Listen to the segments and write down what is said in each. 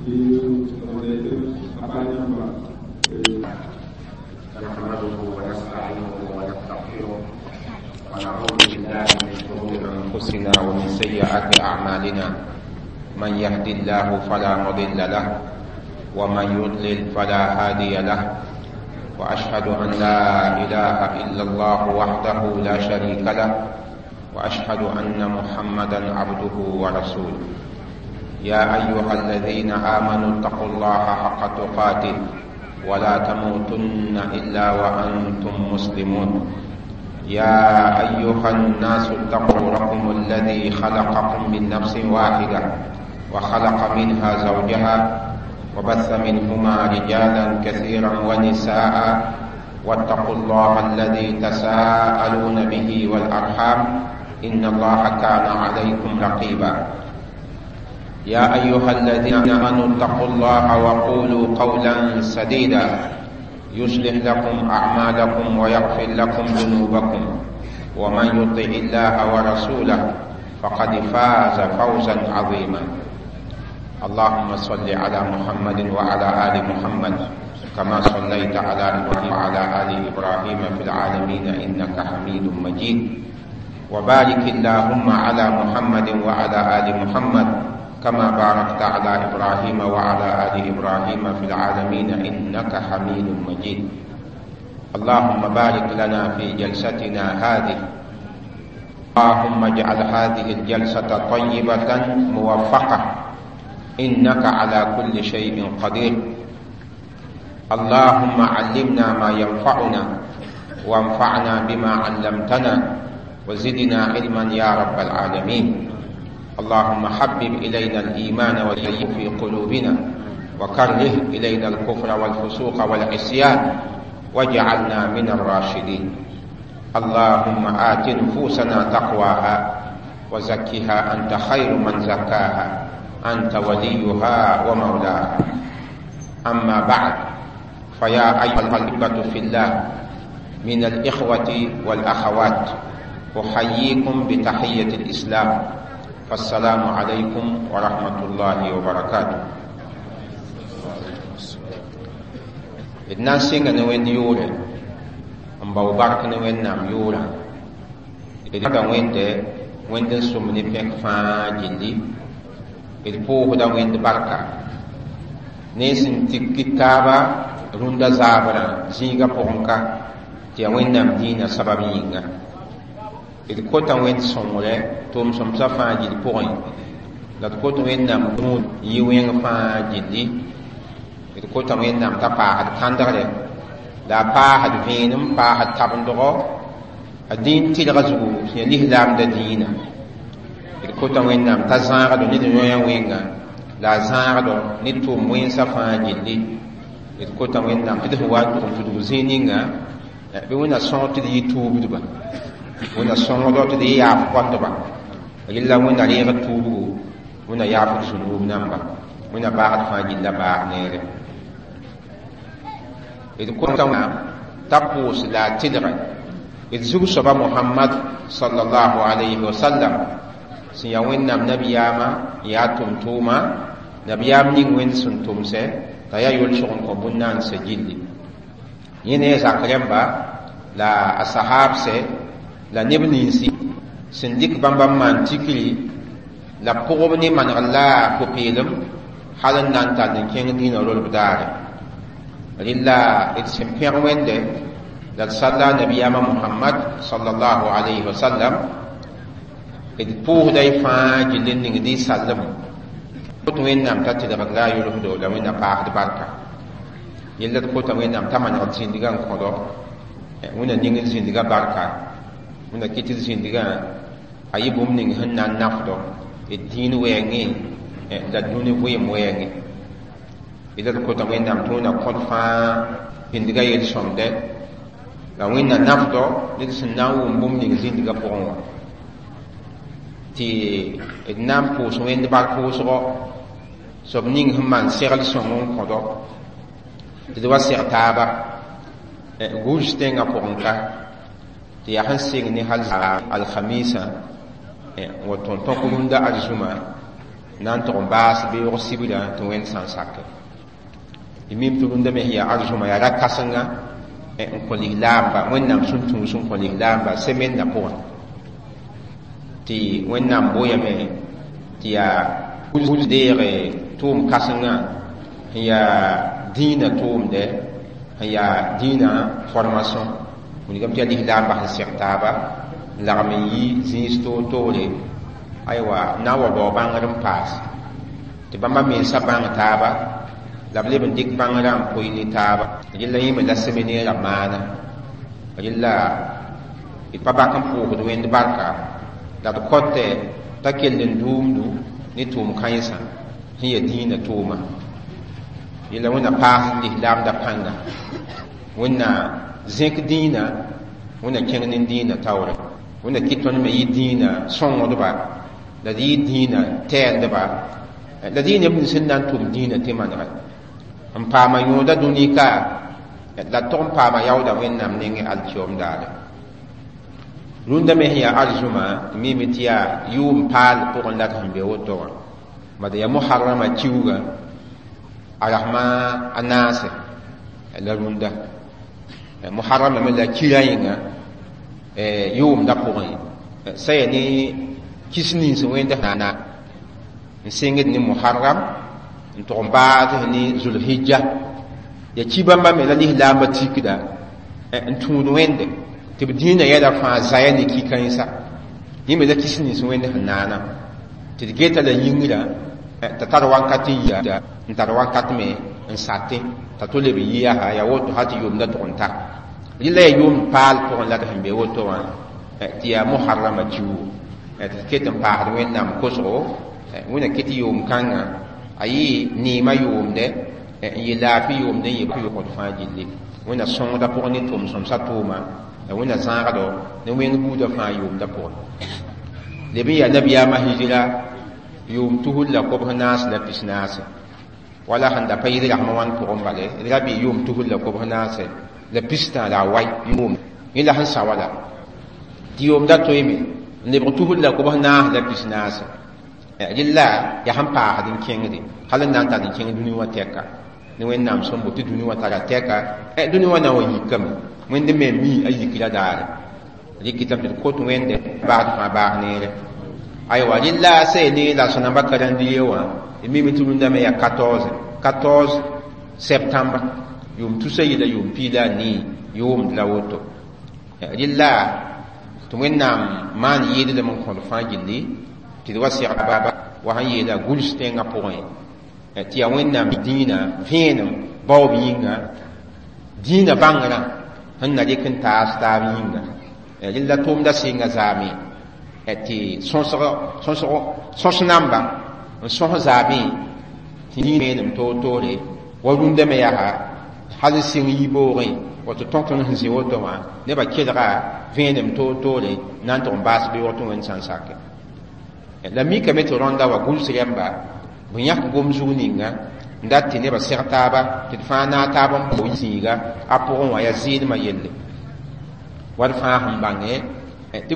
نحمده ونستعينه ونستغفره ونعوذ بالله من شرور أنفسنا ومن سيئات أعمالنا. من يهد الله فلا مضل له ومن يضلل فلا هادي له، وأشهد أن لا إله إلا الله وحده لا شريك له، وأشهد أن محمدا عبده ورسوله. يا أيها الذين آمنوا اتقوا الله حق تقاته ولا تموتن إلا وأنتم مسلمون. يا أيها الناس اتقوا ربكم الذي خلقكم من نفس واحدة وخلق منها زوجها وبث منهما رجالا كثيرا ونساء، واتقوا الله الذي تساءلون به والأرحام إن الله كان عليكم رقيبا. يا أيها الذين آمنوا اتقوا الله وقولوا قولا سديدا يصلح لكم أعمالكم ويغفر لكم ذنوبكم، ومن يطع الله ورسوله فقد فاز فوزا عظيما. اللهم صل على محمد وعلى آل محمد كما صليت على إبراهيم وعلى آل إبراهيم في العالمين إنك حميد مجيد، وبارك اللهم على محمد وعلى آل محمد كما باركت على إبراهيم وعلى آل إبراهيم في العالمين إنك حميد مجيد. اللهم بارك لنا في جلستنا هذه، اللهم اجعل هذه الجلسة طيبة موفقة إنك على كل شيء قدير. اللهم علمنا ما ينفعنا وانفعنا بما علمتنا وزدنا علما يا رب العالمين. اللهم حبب إلينا الإيمان وزينه في قلوبنا وكره إلينا الكفر والفسوق والعصيان واجعلنا من الراشدين. اللهم آت نفوسنا تقواها وزكها أنت خير من زكاها أنت وليها ومولاها. أما بعد، فيا أيها الأحبة في الله من الإخوة والأخوات، أحييكم بتحية الإسلام، فالسلام عليكم ورحمة الله وبركاته. الناس سينغ نوين يوري أمباو بارك نوين نام يورا إذا وين ده وين ده سومني بيك فا جلي إذ بوه دا وين بركة نيسن تكتابا روندا زابرا زيغا بونكا تيا وين نام دينا سببينغا d kota wẽnd sõngre tʋʋm-sõmsã fãa gill pʋgẽ, la d kot Wẽnnaam rũud yɩ wẽng fãa gilli. D kota Wẽnnaam t'a paasd kãndgre la a paasd vẽenem, paasd tabendgo a dĩin tɩlga zugu sẽn ya lislaamda dĩinã. D kota Wẽnnaam t'a zãagdo ne d yõya wẽnga la a zãagdo ne tʋʋm wẽnsã fãa gilli. D kota Wẽnnaam tɩ d sẽn wa n tʋg n tudg zĩig ninga bɩ Wẽnna sõng tɩ d yɩ tuubdba, Wẽnna sõngdo tɩ d yɩ yaaf kõtba. Rɩlla Wẽnna reeg tuubgo, Wẽnna yaaf d zũnuub namba, Wẽnna baasd fãa gilla baag neere. D kota Wẽnnaam t'a pʋʋs la a tɩlge d zug-soaba Mohamad sallallahu alayhi wa sallam sẽn yaa Wẽnnaam nabiyaamã n yaa tʋm-tʋʋma, nabiyaam ning Wẽnd sẽn tʋmsɛ t'a yaa yolsg n kõ bũn-naansã gilli. Yẽ ne a zak rẽmba la a sahaabsɛ la neb ninsi sẽn dɩk bãmba n maan tikri la pʋgb ne manegr la pʋ-peelem hal n na n tall n kẽng dĩinã rolb daare. Rɩla d sẽn pẽg Wẽnde la d sall a nabiyaamã Mohamad sallallahu alayhi wa sallam, d pʋʋsda y fãa gill n ningd y sallem kot Wẽnnaam t'a tɩlgd la a yolsdo la Wẽnna paasd barka. Yella d kota Wẽnnaam t'a manegd zĩndgã n kõdo, Wẽnna ning zĩndgã barka, Wẽnna kɩt d zĩndgã a yɩ bũmb ning sẽn na n nafdo d dĩin wɛɛngẽ la dũni vɩɩm wɛɛngẽ. D kota Wẽnnaam tɩ Wẽnna kõd fãa zĩndgã yel-sõmdɛ la Wẽnna nafdo ned sẽn na n wʋm bũmb ning zĩndgã pʋgẽ wã. Tɩ d na n pʋʋs Wẽnd bark pʋʋsgɔ soab ning sẽn maan segl sõng n kõdo tɩ d wa seg taaba gũus tẽngã pʋgẽ ka tɩ yaa sẽn sɩng ne hal alhamisa n wa tõn tõk rũndã arzũma Na n tʋg n baas beoog sibra tɩ Wẽnd sã n sake. D mim tɩ rũndã me sẽn yaa arzũma yaa ra-kãsenga n kõ lislaamba, Wẽnnaam sẽn tũus n kõ lislaamba semennã pʋgẽ, tɩ Wẽnnaam boyame tɩ yaa deege tʋʋm kãsengã sẽn yaa dĩinã tʋʋmdɛ, sẽn yaa dĩinã formation. Wilgame tɩ yaa lislaambã sẽn seg taaba n lagm n yi zĩis toor-toore, aywa, n na n wa bao bãngr n paas tɩ bãmba mensã bãng taaba la b leb n dɩk bãngrã n poe ne taaba. Rẽlla yẽ me la seminɛɛrã maana. Rẽlla d pa bak n pʋʋsd Wẽnd barka la d kõtɛ t'a kell n duumdu ne tʋʋm kãensã sẽn yaa dĩinã tʋʋma. Yella Wẽnna paas lislaamda pãnga, Wẽnna zẽk dĩinã, Wẽnna kẽng ne dĩinã taoore, Wẽnna kɩt tõnd me yɩ dĩinã sõngdba, la d yɩ dĩinã tɛɛldba, la d yɩ neb nins sẽn na n tʋm dĩinã tɩ manegɛ n paama yõoda dũni ka, la d tog n paama yaooda Wẽnnaam nengẽ alkiom daare. Rũndã me sẽn yaa arzũma, d mime tɩ yaa yʋʋm paal pʋgẽ la d sẽn be woto wã, bad yaa moharrama kiuugã a rasma a naase la rũndã. Moharrama me la kira yĩnga yʋʋmda pʋgẽ sã yaa ne kis nins wẽnd na n sẽngd ne Muharram n tʋg n baasd ne Zulhijja. Ya ki bãmba me la lislaambã tikda n tũud Wẽnde tɩ b dĩinã yɛla fãa zaya ne ki-kãensa. Yẽ me la kis nins Wẽnd sẽn naana tɩ d geta la yĩngrã t'a tar wakat n yia n tar wakat me n satẽ t'a to leb n yi yaa yaa woto hal tɩ yʋʋmda tʋg n ta. Rɩla yaa yʋʋm paal pʋgẽ la d sẽn be woto wã tɩ yaa Moharrama kiuugo tɩ d ket n paasd Wẽnnaam kosgo. Wẽnna kɩ tɩ yʋʋm kãngã a yɩ neemã yʋʋmdɛ n yɩ laafɩ yʋʋmdɛ n yɩ yʋgd fãa gilli. Wẽnna sõngda pʋgẽ ne tʋm sõmsã tʋʋma la Wẽnna zãagdo ne wẽng buudã fãa yʋʋmda pʋgẽ. Leb n yaa nabiyaamã hijra yʋʋm 2044 wala sẽn da pa yɩl rasmã wãn pʋgẽ bale, d ra bɩ yʋʋm 2043 yʋʋm yẽ la sẽn sa wala tɩ yʋʋmda toeeme n lebg 2044. Rɩla yaa sẽn paasd n kẽngde hal n na n tar n kẽng dũni wã tɛka ne Wẽnnaam sẽn boto tɩ dũni wã tara tɛka. Dũni wã na n wa yikame, Wẽnd me mi a yikra daare rɩkɩtame tɩ d kot Wẽnde baasd fãa baas neere. Aywa, rɩla sa ya ne la sõnamba calendrier wã, d mime tɩ rũndã me yaa 14 septembre yʋʋm 2014 yʋʋmd la woto. Rɩla tɩ Wẽnnaam maan yɩɩdlem n kõd fãa gilli tɩ d wa segba wa sẽn yeela guls tẽngã pʋgẽ tɩ yaa Wẽnnaam dĩinã vẽenem baoob yĩnga, dĩinã bãngrã sẽn na rɩk n taas taab yĩnga. Rɩla tʋʋmda sɩnga zaame tɩ sõs namba n sõs zaame tɩ vẽenem toor-toore wa rũndã me yaa hal n sɩng yiboogẽ woto tõk tõnd sẽn zĩ woto wã nebã kelga vẽenem toor-toore na n tʋg n baas beoog tɩ Wẽnd sã n sake. La mikame tɩ rõnda wa guls rẽmba b yãk gom zug ninga n dat tɩ nebã seg taaba tɩ d fãa naag taab n bo zĩiga a pʋgẽ wã yaa zɩɩdmã yelle wa d fãa sẽn bãnge tɩ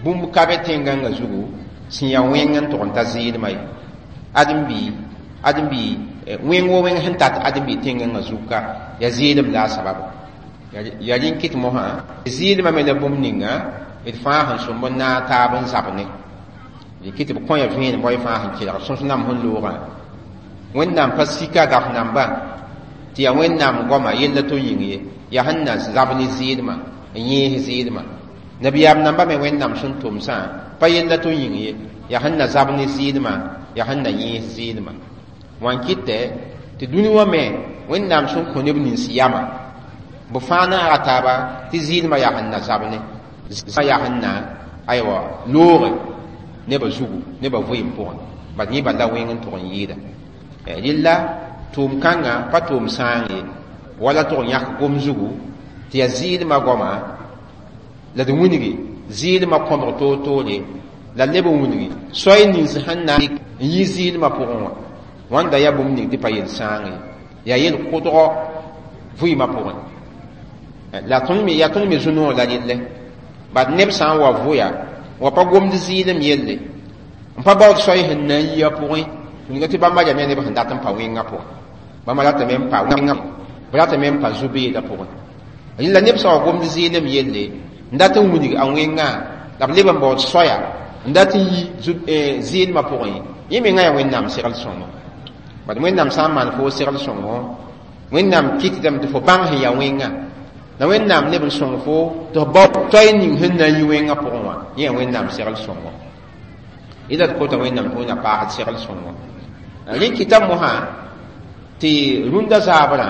bũmb ka be tẽngãngã zugu sẽn yaa wẽng n tʋg n ta zɩɩdmã ye. Ãdem-bi wẽng wo wẽng sẽn tat ãdem-bi tẽngãngã zug ka yaa zɩɩdem la a sabab yaa rẽn kɩt mosã zɩɩdmã me la bũmb ninga d fãa sẽn sõmb n naag taab n zab ne kɩ tɩ b kõ ya vẽenem wa y fãa sẽn kelg sõs nam sẽn loogã. Wẽnnaam pa sika gaf nambã tɩ yaa Wẽnnaam goama yella to yĩng ye yaa sẽn na zab ne zɩɩdmã n yẽes zɩɩdmã. Nabiyaam nambã me Wẽnnaam sẽn tʋmsã pa yella to yĩng ye yaa sẽn na zab ne zɩɩdmã, yaa sẽn na yẽes zɩɩdmã. Wã n kɩtɛ tɩ dũni wã me Wẽnnaam sẽn kõ neb nins yama b fãa naaga taaba tɩ zɩɩdmã yaa sẽn na zab ne yaa sẽn na aywa looge nebã zugu nebã vɩɩm pʋgẽ bad yẽ bala wẽng n tʋg n yɩɩda. Rɩla tʋʋm kãngã pa tʋʋm sãang ye wala tʋg n yãk gom zugu tɩ yaa zɩɩdmã goama la d wilgi zɩɩdmã kõbg toor-toore la leb n wilgi soay nins sẽn na n yi zɩɩdmã pʋgẽ wã wãnda yaa bũmb ning tɩ pa yel sãang ye yaa yel kʋdgɔ vɩɩmã pʋgẽ. La tõnd me yaa tõnd me zu-noog la relle bad neb sã n wa vʋya wa pa gomd zɩɩdem yelle. N pa baood soay sẽn na n yi a pʋgẽ, wilga tɩ bãmba yaa neb sẽn dat n pa wẽngã pʋgẽ, bãmba ratame n pa wẽngã, b ratame n pa zu-beedã pʋgẽ. Rẽnd la neb sã wa gomd zɩɩlem yelle n dat n wilg a wẽngã, la b leb n baood soaya n dat n yi zɩɩlmã pʋgẽ, yẽ mengã yaa Wẽnnaam segl sõngo. Bad Wẽnnaam sã n maan foo segl sõngo, Wẽnnaam kɩtdame tɩ fo bãng sẽn yaa wẽngã, la Wẽnnaam leb n sõng fo tɩ f bao toay ning sẽn na n yi wẽngã pʋgẽ wã, yẽ yaa Wẽnnaam segl sõngo. Yẽla d kota Wẽnnaam tɩ Wẽnna paasd segl sõngo. Rẽ kɩta mosã tɩ rũndã zaabrã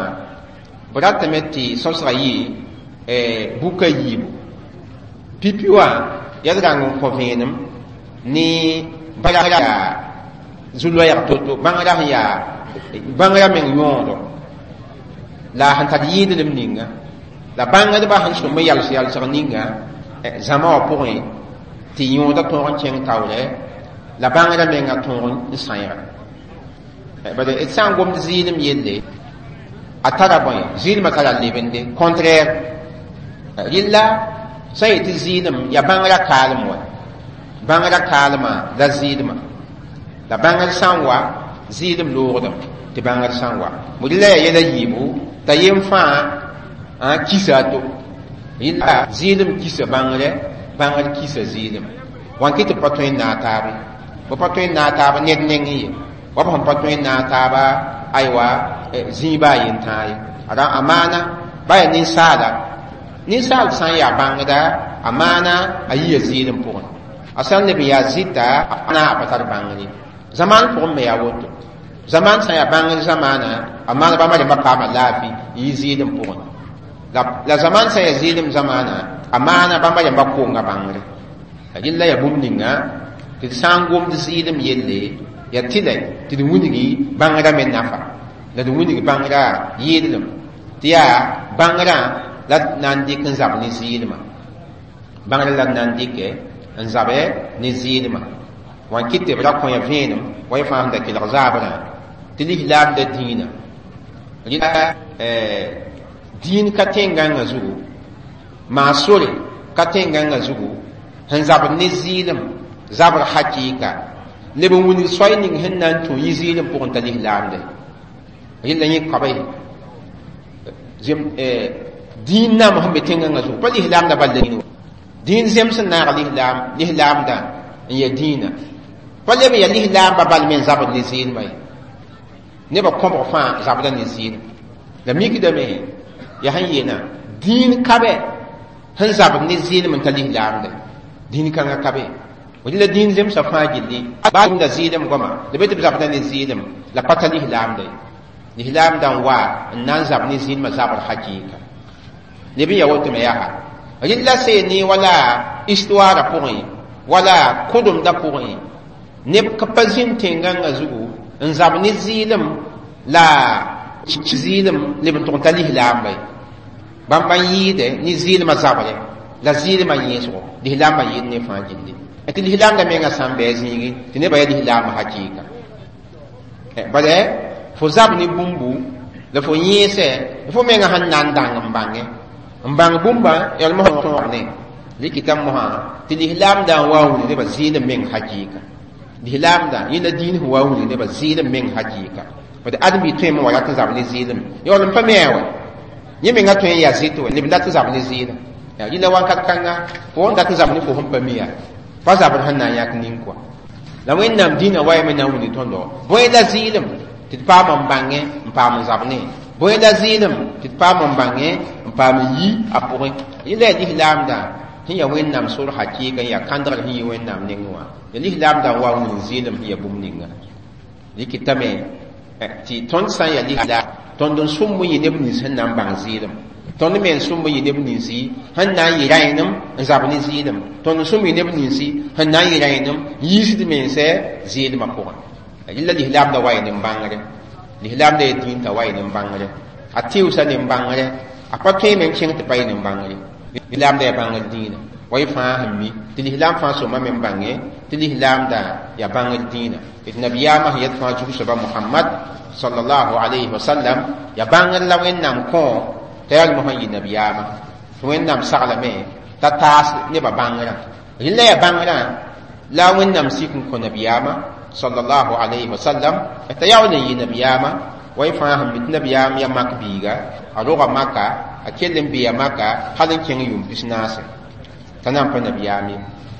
b ratame tɩ sõsga yɩ buka yiibu. Pipi wã yaa d rãng n kõ vẽenem ne bãngrã yaa zu-loɛɛg to-to, bãngrã sẽn yaa bãngrã meng yõodo la sẽn tar yɩɩdlem ninga, la bãngdbã sẽn sõm n yals yalsg ninga zãma wã pʋgẽ tɩ yõoda tõog n kẽng taoorɛ, la bãngrã menga tõog n sãeega. Bala d sã n gomd zɩɩlem yelle, a tara bõe? Zɩɩlmã tara lebende contraire. Rɩlla sã n yetɩ zɩɩlem yaa bãngrã kaalem wa, bãngrã kaalmã la zɩɩlmã, la bãngr sã n wa zɩɩlem loogdame tɩ bãngr sã n wa. Rɩlla yaa yɛla yiibu t'a yem fãa kisa a to. Rɩlla zɩɩlem kisa bãngrɛ, bãngr kisa zɩɩlem. Wãn kɩ tɩ b pa tõe n naag taabe, b pa tõe n naag taab ned nengẽ ye, wa b sẽn pa tõe n naag taaba aywa zĩiba a yentãag ye. A maana ba yaa ninsaala, ninsaal sã n yaa bãngda, a maana a yia zɩɩlem pʋgẽ, a sã n leb n yaa zɩta, a na a pa tar bãngr ye. Zamaan pʋgẽ me yaa woto. Zamaan sã n yaa bãngr zamaana, a maana bãmba rẽmba paama laafɩ n yi zɩɩlem pʋgẽ. La zamaan sã n yaa zɩɩlem zamaana, a maana bãmba rẽmba konga bãngre. Rɩlla yaa bũmb ninga tɩ d sã n gomd zɩɩlem yelle, yaa tɩlɛ tɩ d wilgi bãngrã me nafa, la d wilg bãngrã yɩɩdlem, tɩ yaa bãngrã la d na n dɩk n zab ne zɩɩlmã, bãngrã la d na n dɩkɛ n zabɛ ne zɩɩlmã. Wã n kɩt tɩ b ra kõ ya vẽenem wa y fãa sẽn da kelg zaabrã tɩ lislaamda dĩinã. Rɩla dĩin ka tẽn-gãngã zugu, maa sore ka tẽn-gãngã zugu sẽn zabd ne zɩɩlem zabr hakɩɩka, leb n wilg soay ning sẽn na n tũ yɩ zɩɩlem pʋgẽ t'a lislaamda. Rẽlla yẽ kabe dĩin nam sẽn be tẽn-gãngã zugu pa lislaamda bal la dĩin zem sẽn naag lislaam, lislaamda n yaa dĩinã pa leb n yaa lislaamba bal me n zabd ne zɩɩlmã ye. Nebã kõbg fãa zabda ne zɩɩlem. La mikdame yaa sẽn yeelã dĩin kabe sẽn zabd ne zɩɩlem n ta lislaamda, dĩin kãngã kabe. Rɩla dĩin zemsã fãa gilli baa da zɩɩlem goama la be tɩ b zabda ne zɩɩlem la pa ta lislaamda ye. Lislaamda n wa n na n zab ne zɩɩlmã zabr hakɩɩka. Leb n yaa woto me yaa rɩlla seene wala histoirã pʋgẽ, wala kʋdemdã pʋgẽ, neb ka pa zĩnd tẽn-gãngã zugu n zab ne zɩɩlem la zɩɩlem leb n tʋg n ta lislaamba ye. Bãmb n yɩɩdɛ ne zɩɩlmã zabrɛ la zɩɩlmã yẽesgo, lislaambã yɩɩd ne fãa gilli. Tɩ lislaamda mengã sã n bɩ a zĩigẽ tɩ nebã yaa lislaambã hakɩɩka. Bala fo zab ne bũmbu la fo yẽesɛ, fo mengã sẽn na n dãng n bãngẽ n bãng bũmba yãlm tõog ne rɩkɩta mosã tɩ lislaamda n wa n wilg nebã zɩɩlem meng hakɩɩka. Lislaamda yẽ la dĩin sẽn wa n wilg nebã zɩɩlem meng hakɩɩka. Bad ãdem-bi tõeme wa rat n zab ne zɩɩlem yaool n pa me a wa yẽ mengã tõe n yaa zɩt wa leb n dat n zab ne zɩɩlem. Rɩla wakat kãnga fo n dat n zab ne fo sẽn pa mi yaa pa zabr sẽn na n yãk nin-kɔa. La Wẽnnaam dĩinã wa yame na n wilg tõndo bõe la zɩɩlem tɩ d paam n bãngẽ n paam n zab ne, bõe la zɩɩlem tɩ d paam n bãngẽ n paam n yi a pʋgẽ. Rɩla yaa lislaamdã sẽn yaa Wẽnnaam sor hakɩɩka n yaa kãndgr sẽn yi Wẽnnaam nengẽ wã, yaa lislaamdã n wa n wilg zɩɩlem sẽn yaa bũmb ninga. Rɩkɩtame tɩ tõnd sã n yaa lislaam, tõnd n sʋmb n yɩ neb nins sẽn na n bãng zɩɩlem, tõnd me n sʋmb n yɩ neb ninsi sẽn na n yɩ rãenem n zab ne zɩɩlem, tõnd n sʋmb yɩ neb ninsi sẽn na n yɩ rãenem n yiisd mensɛ zɩɩlmã pʋgẽ. Rɩla lislaamda wa yɩ nin-bãngre, lislaamda yaa dĩin t'a wa yɩ nin-bãngre, a tɩʋsa nin-bãngre, a pa tõeme n kẽng tɩ pa yɩ nin-bãngre. Lislaamda yaa bãngr dĩinã wa y fãa sẽn mi tɩ lislaam fãa sõma me n bãnge tɩ lislaamda yaa bãngr dĩinã. D nabiyaamã sẽn yet fãa zug soaba Mohamad sallallahu alayhi wa sallam yaa bãngr la Wẽnnaam kõ t'a yaa mosã n yɩ nabiyaamã, tɩ Wẽnnaam saglame t'a taas nebã bãngrã. Rẽla yaa bãngrã La wẽnnaam sik n kõ nabiyaamã sallallahu alayhi wa sallam t'a yaool n yɩ nabiyaamã wa y fãa sẽn mi tɩ nabiyaam ya mak biiga a roga maka a kell n bee maka hal n kẽng yʋʋm pis-naase t'a na n pa nabiyaam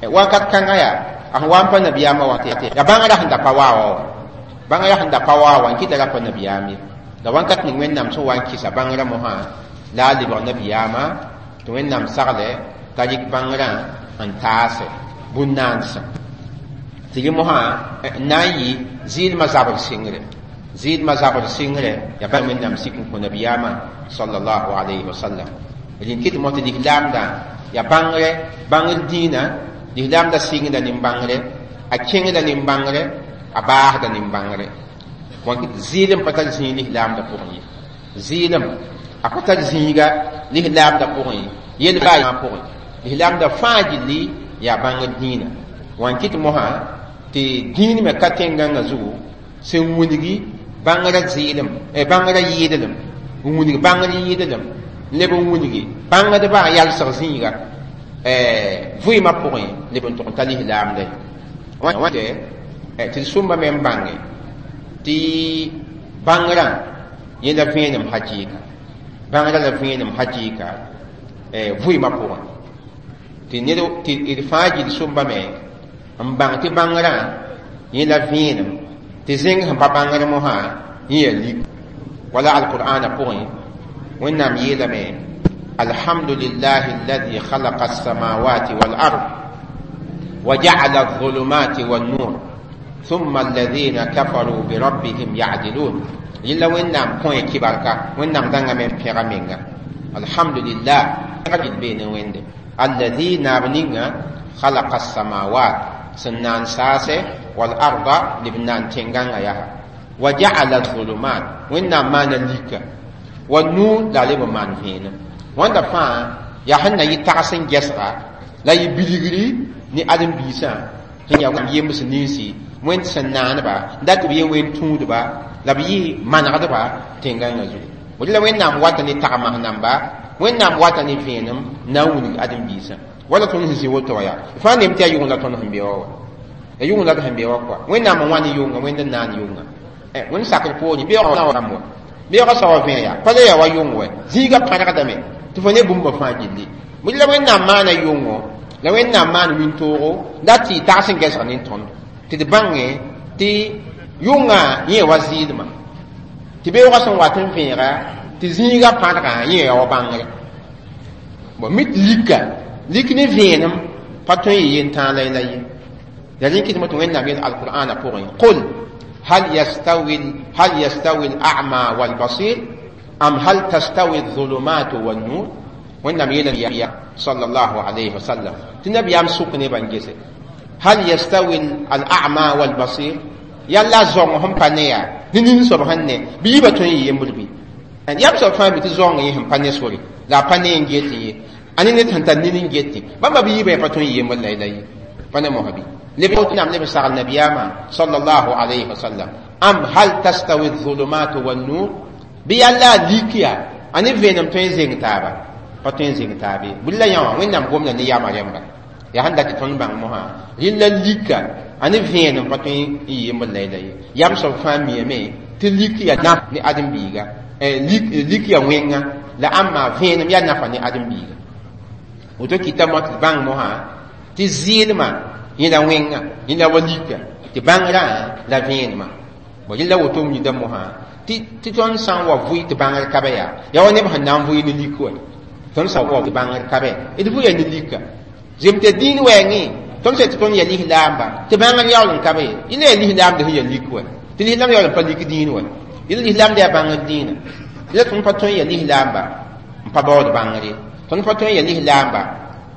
ye wakat kãngã yaa a sẽn wa n pa nabiyaamã wa ya bãngrã sẽn da pa waa wa wa bãngrã sẽn da pa waa wa n kɩta ra pa nabiyaam ye la wãnkat ning wẽnnaam sẽn wa n kɩsa bãngrã mosã la a lebg nabiyaamã tɩ wẽnnaam sagle t'a rɩk bãngrã n taase bũn-naansã tɩ rẽ mosã n na n yɩ zɩɩlmã zabr sɩngre zɩɩlmã zabr sɩngre yaa bãmb wẽnnaam sik n kõ nabiyaamã sallallahu alayhi wa sallam rẽn kɩt mo tɩ lislaamdã yaa bãngre bãngr dĩinã lislaamdã sɩngda nin-bãngre a kẽngda nin-bãngre a baasda nin-bãngre wãn kɩt zɩɩlem pa tar zĩig lislaamdã pʋgẽ ye zɩɩlem a pa tar zĩiga lislaamdã pʋgẽ ye yel baa pʋgẽ lislaamdã fãa gilli yaa bãngr dĩinã wãn kɩt mosã tɩ dĩin me ka tẽn-gãngã zugu sẽn wilgi bãngrã zɩɩlem bãngrã yɩɩdlem n wilg bãngr yɩɩdlem n leb n wilgi bãngdbã yalsg zĩiga vɩɩmã pʋgẽ leb n tʋg n ta lislaamda ye tɩ d sũmba me n bãnge tɩ bãngrã yẽ la vẽenem hakɩɩka bãngrã la vẽenem hakɩɩka vɩɩmã pʋgẽ tɩ ned tɩ d fãa gill sũmba me n bãng tɩ bãngrã yẽ la vẽenem tɩ zẽng sẽn pa bãngr mosã yẽ yaa lik wala alqur'ana pʋgẽ wẽnnaam yeelame alhamdulillahi alladi khalaqa alsamawati walard وجعل الظلمات والنور ثم الذين كفروا بربهم يعدلون يلا وين كون كباركا وين نام دانغا من بيغا مينغا الحمد لله بين وين الذي نابنيغا خلق السماوات سنان ساسه والأرض لبنان تنغانا يها وجعل الظلمات وين ما نليك والنور لا لب مان فينا وين فا يا حنا يتعسن جسرا لا يبلغري ni adam biisã sẽn yaa yems ninsi wẽnd sẽn naaneba dat b yẽ wẽnd tũudba la b yɩ manegdba tẽn-gãngã zugu woto la wẽnnaam wata ne tagmas namba wẽnnaam wata ne vẽenem na n wilg ãdem-biisã wala tõnd sẽn zĩ woto wã yaa fãa nem tɩ yaa yʋng la tõnd sẽn be wa wa ya yʋng la d sẽn be wa kɔa wẽnnaam n wa ne yʋnga wẽnd n naan yʋnga wẽnd sakr poorẽ beoogã rãmb wa beoogã soaba vẽ yaa pa la yaa wa yʋng wɛ zĩigã pãrgdame tɩ fo ne bũmba fãa gilli bõe la wẽnnaam maana yʋngo la wẽnnaam maan wĩntoogo la tɩ tags n gɛsg ne tõnd tɩ d bãnge tɩ yʋngã yẽ wa zɩɩdmã tɩ beoogã sẽn wat n vẽega tɩ zĩigã pãrgã yẽ ya wa bãngre bon mit lika lik ne vẽenem pa tõe n yɩ yentãag la la ye la rẽ kɩtmẽ tɩ wẽnnaam yel alqur'ana pʋgẽ qul hal yastawi al-a'ma wal-basir am hal tastawi adh-dhulumat wan-nur wẽnnaam yeela ya sallallahu alayhi wa sallam tɩ nabiyaam sʋk nebã n gese hal yastawi al-a'ma wal-basir yalla zong sẽn pa ne yaa ne nin soab sẽn ne bɩ yiibã tõe n yɩ yembr bɩ yam soab fãa mi tɩ zaoongã yẽ sẽn pa ne sore la a pa ne n get ye a ne ned sẽn tar nin n get bãmba bɩ yiibã pa tõe n yembr la la ye pa ne mosã bɩ leb nam leb sagl nabiyaamã sallallahu alayhi wa sallam am hal tastawi adh-dhulumat wan-nur bɩ yalla a lik yaa a ne vẽenem tõe n zeng taaba pa tõe n zeng taab ye bʋ la yã wã wẽnnaam gomda ne yama rẽmba yaa sẽn dat tɩ tõnd bãng mosã rẽnd la lika a ne vẽenem pa tõe n yembr la la ye yam soab fãa miame tɩ lik yaa naf ne ãdem-biiga lik yaa wẽnga la ãmba vẽenem yaa nafa ne ãdem-biiga woto kɩta mo tɩ bãng mosã tɩ zɩɩlmã yẽ la wẽnga yẽ la wa lika tɩ bãngrã la vẽenemã bon yẽ la woto mida mosã tɩ tõnd sã n wa vʋɩ tɩ bãngr ka be yaa yaa wa neb sẽn na n vʋɩ ne lik wa tõnd sã n wa tɩ bãngr ka be d vʋɩa ne lika zem tɩ dĩin wɛɛngẽ tõnd sã tɩ tõnd yaa lislaamba tɩ bãngr yaool n ka be ye yẽ la yaa lislaamd sẽn yaa lik wa tɩ lislaam yaool n pa lik dĩin wa yẽ la lislaamd yaa bãngr dĩinã la tõnd pa tõe n yaa lislaamba n pa baood bãngr ye tõnd pa tõe n yaa lislaamba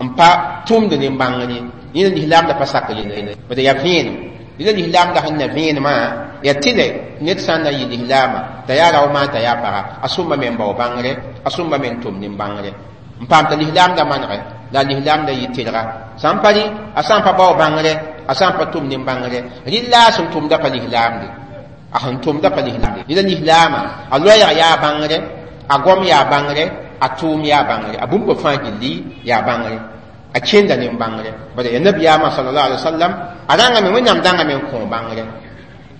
n pa tʋmd ne bãngr ye yẽ la lislaamda pa sak yelle bd yaa vẽenem yẽ la lislaamda sẽn na vẽenemã yaa tɩlɛ ned sã n na yɩ lislaama t'a yaa rao maan t'a yaa paga a sũmba me n bao bãngre a sũmba me n tʋm nin-bãngre n paam t'a lislaamda manegɛ la lislaamda yɩ tɩlga sã n pa rɩ a sã n pa bao bãngre a sã n pa tʋm nin-bãngre rɩla a sẽn tʋmda pa lislaamde a sẽn tʋmda pa lislaamde yẽ la lislaama a loɛɛg yaa bãngre a gom yaa bãngre a tʋʋm yaa bãngre a bũmba fãa gilli yaa bãngre a kẽnda nin-bãngre bala ya nabiyaamã sallallahu alaihi wasallam A rãngame Wẽnnaam dãngame n kõ bãngre.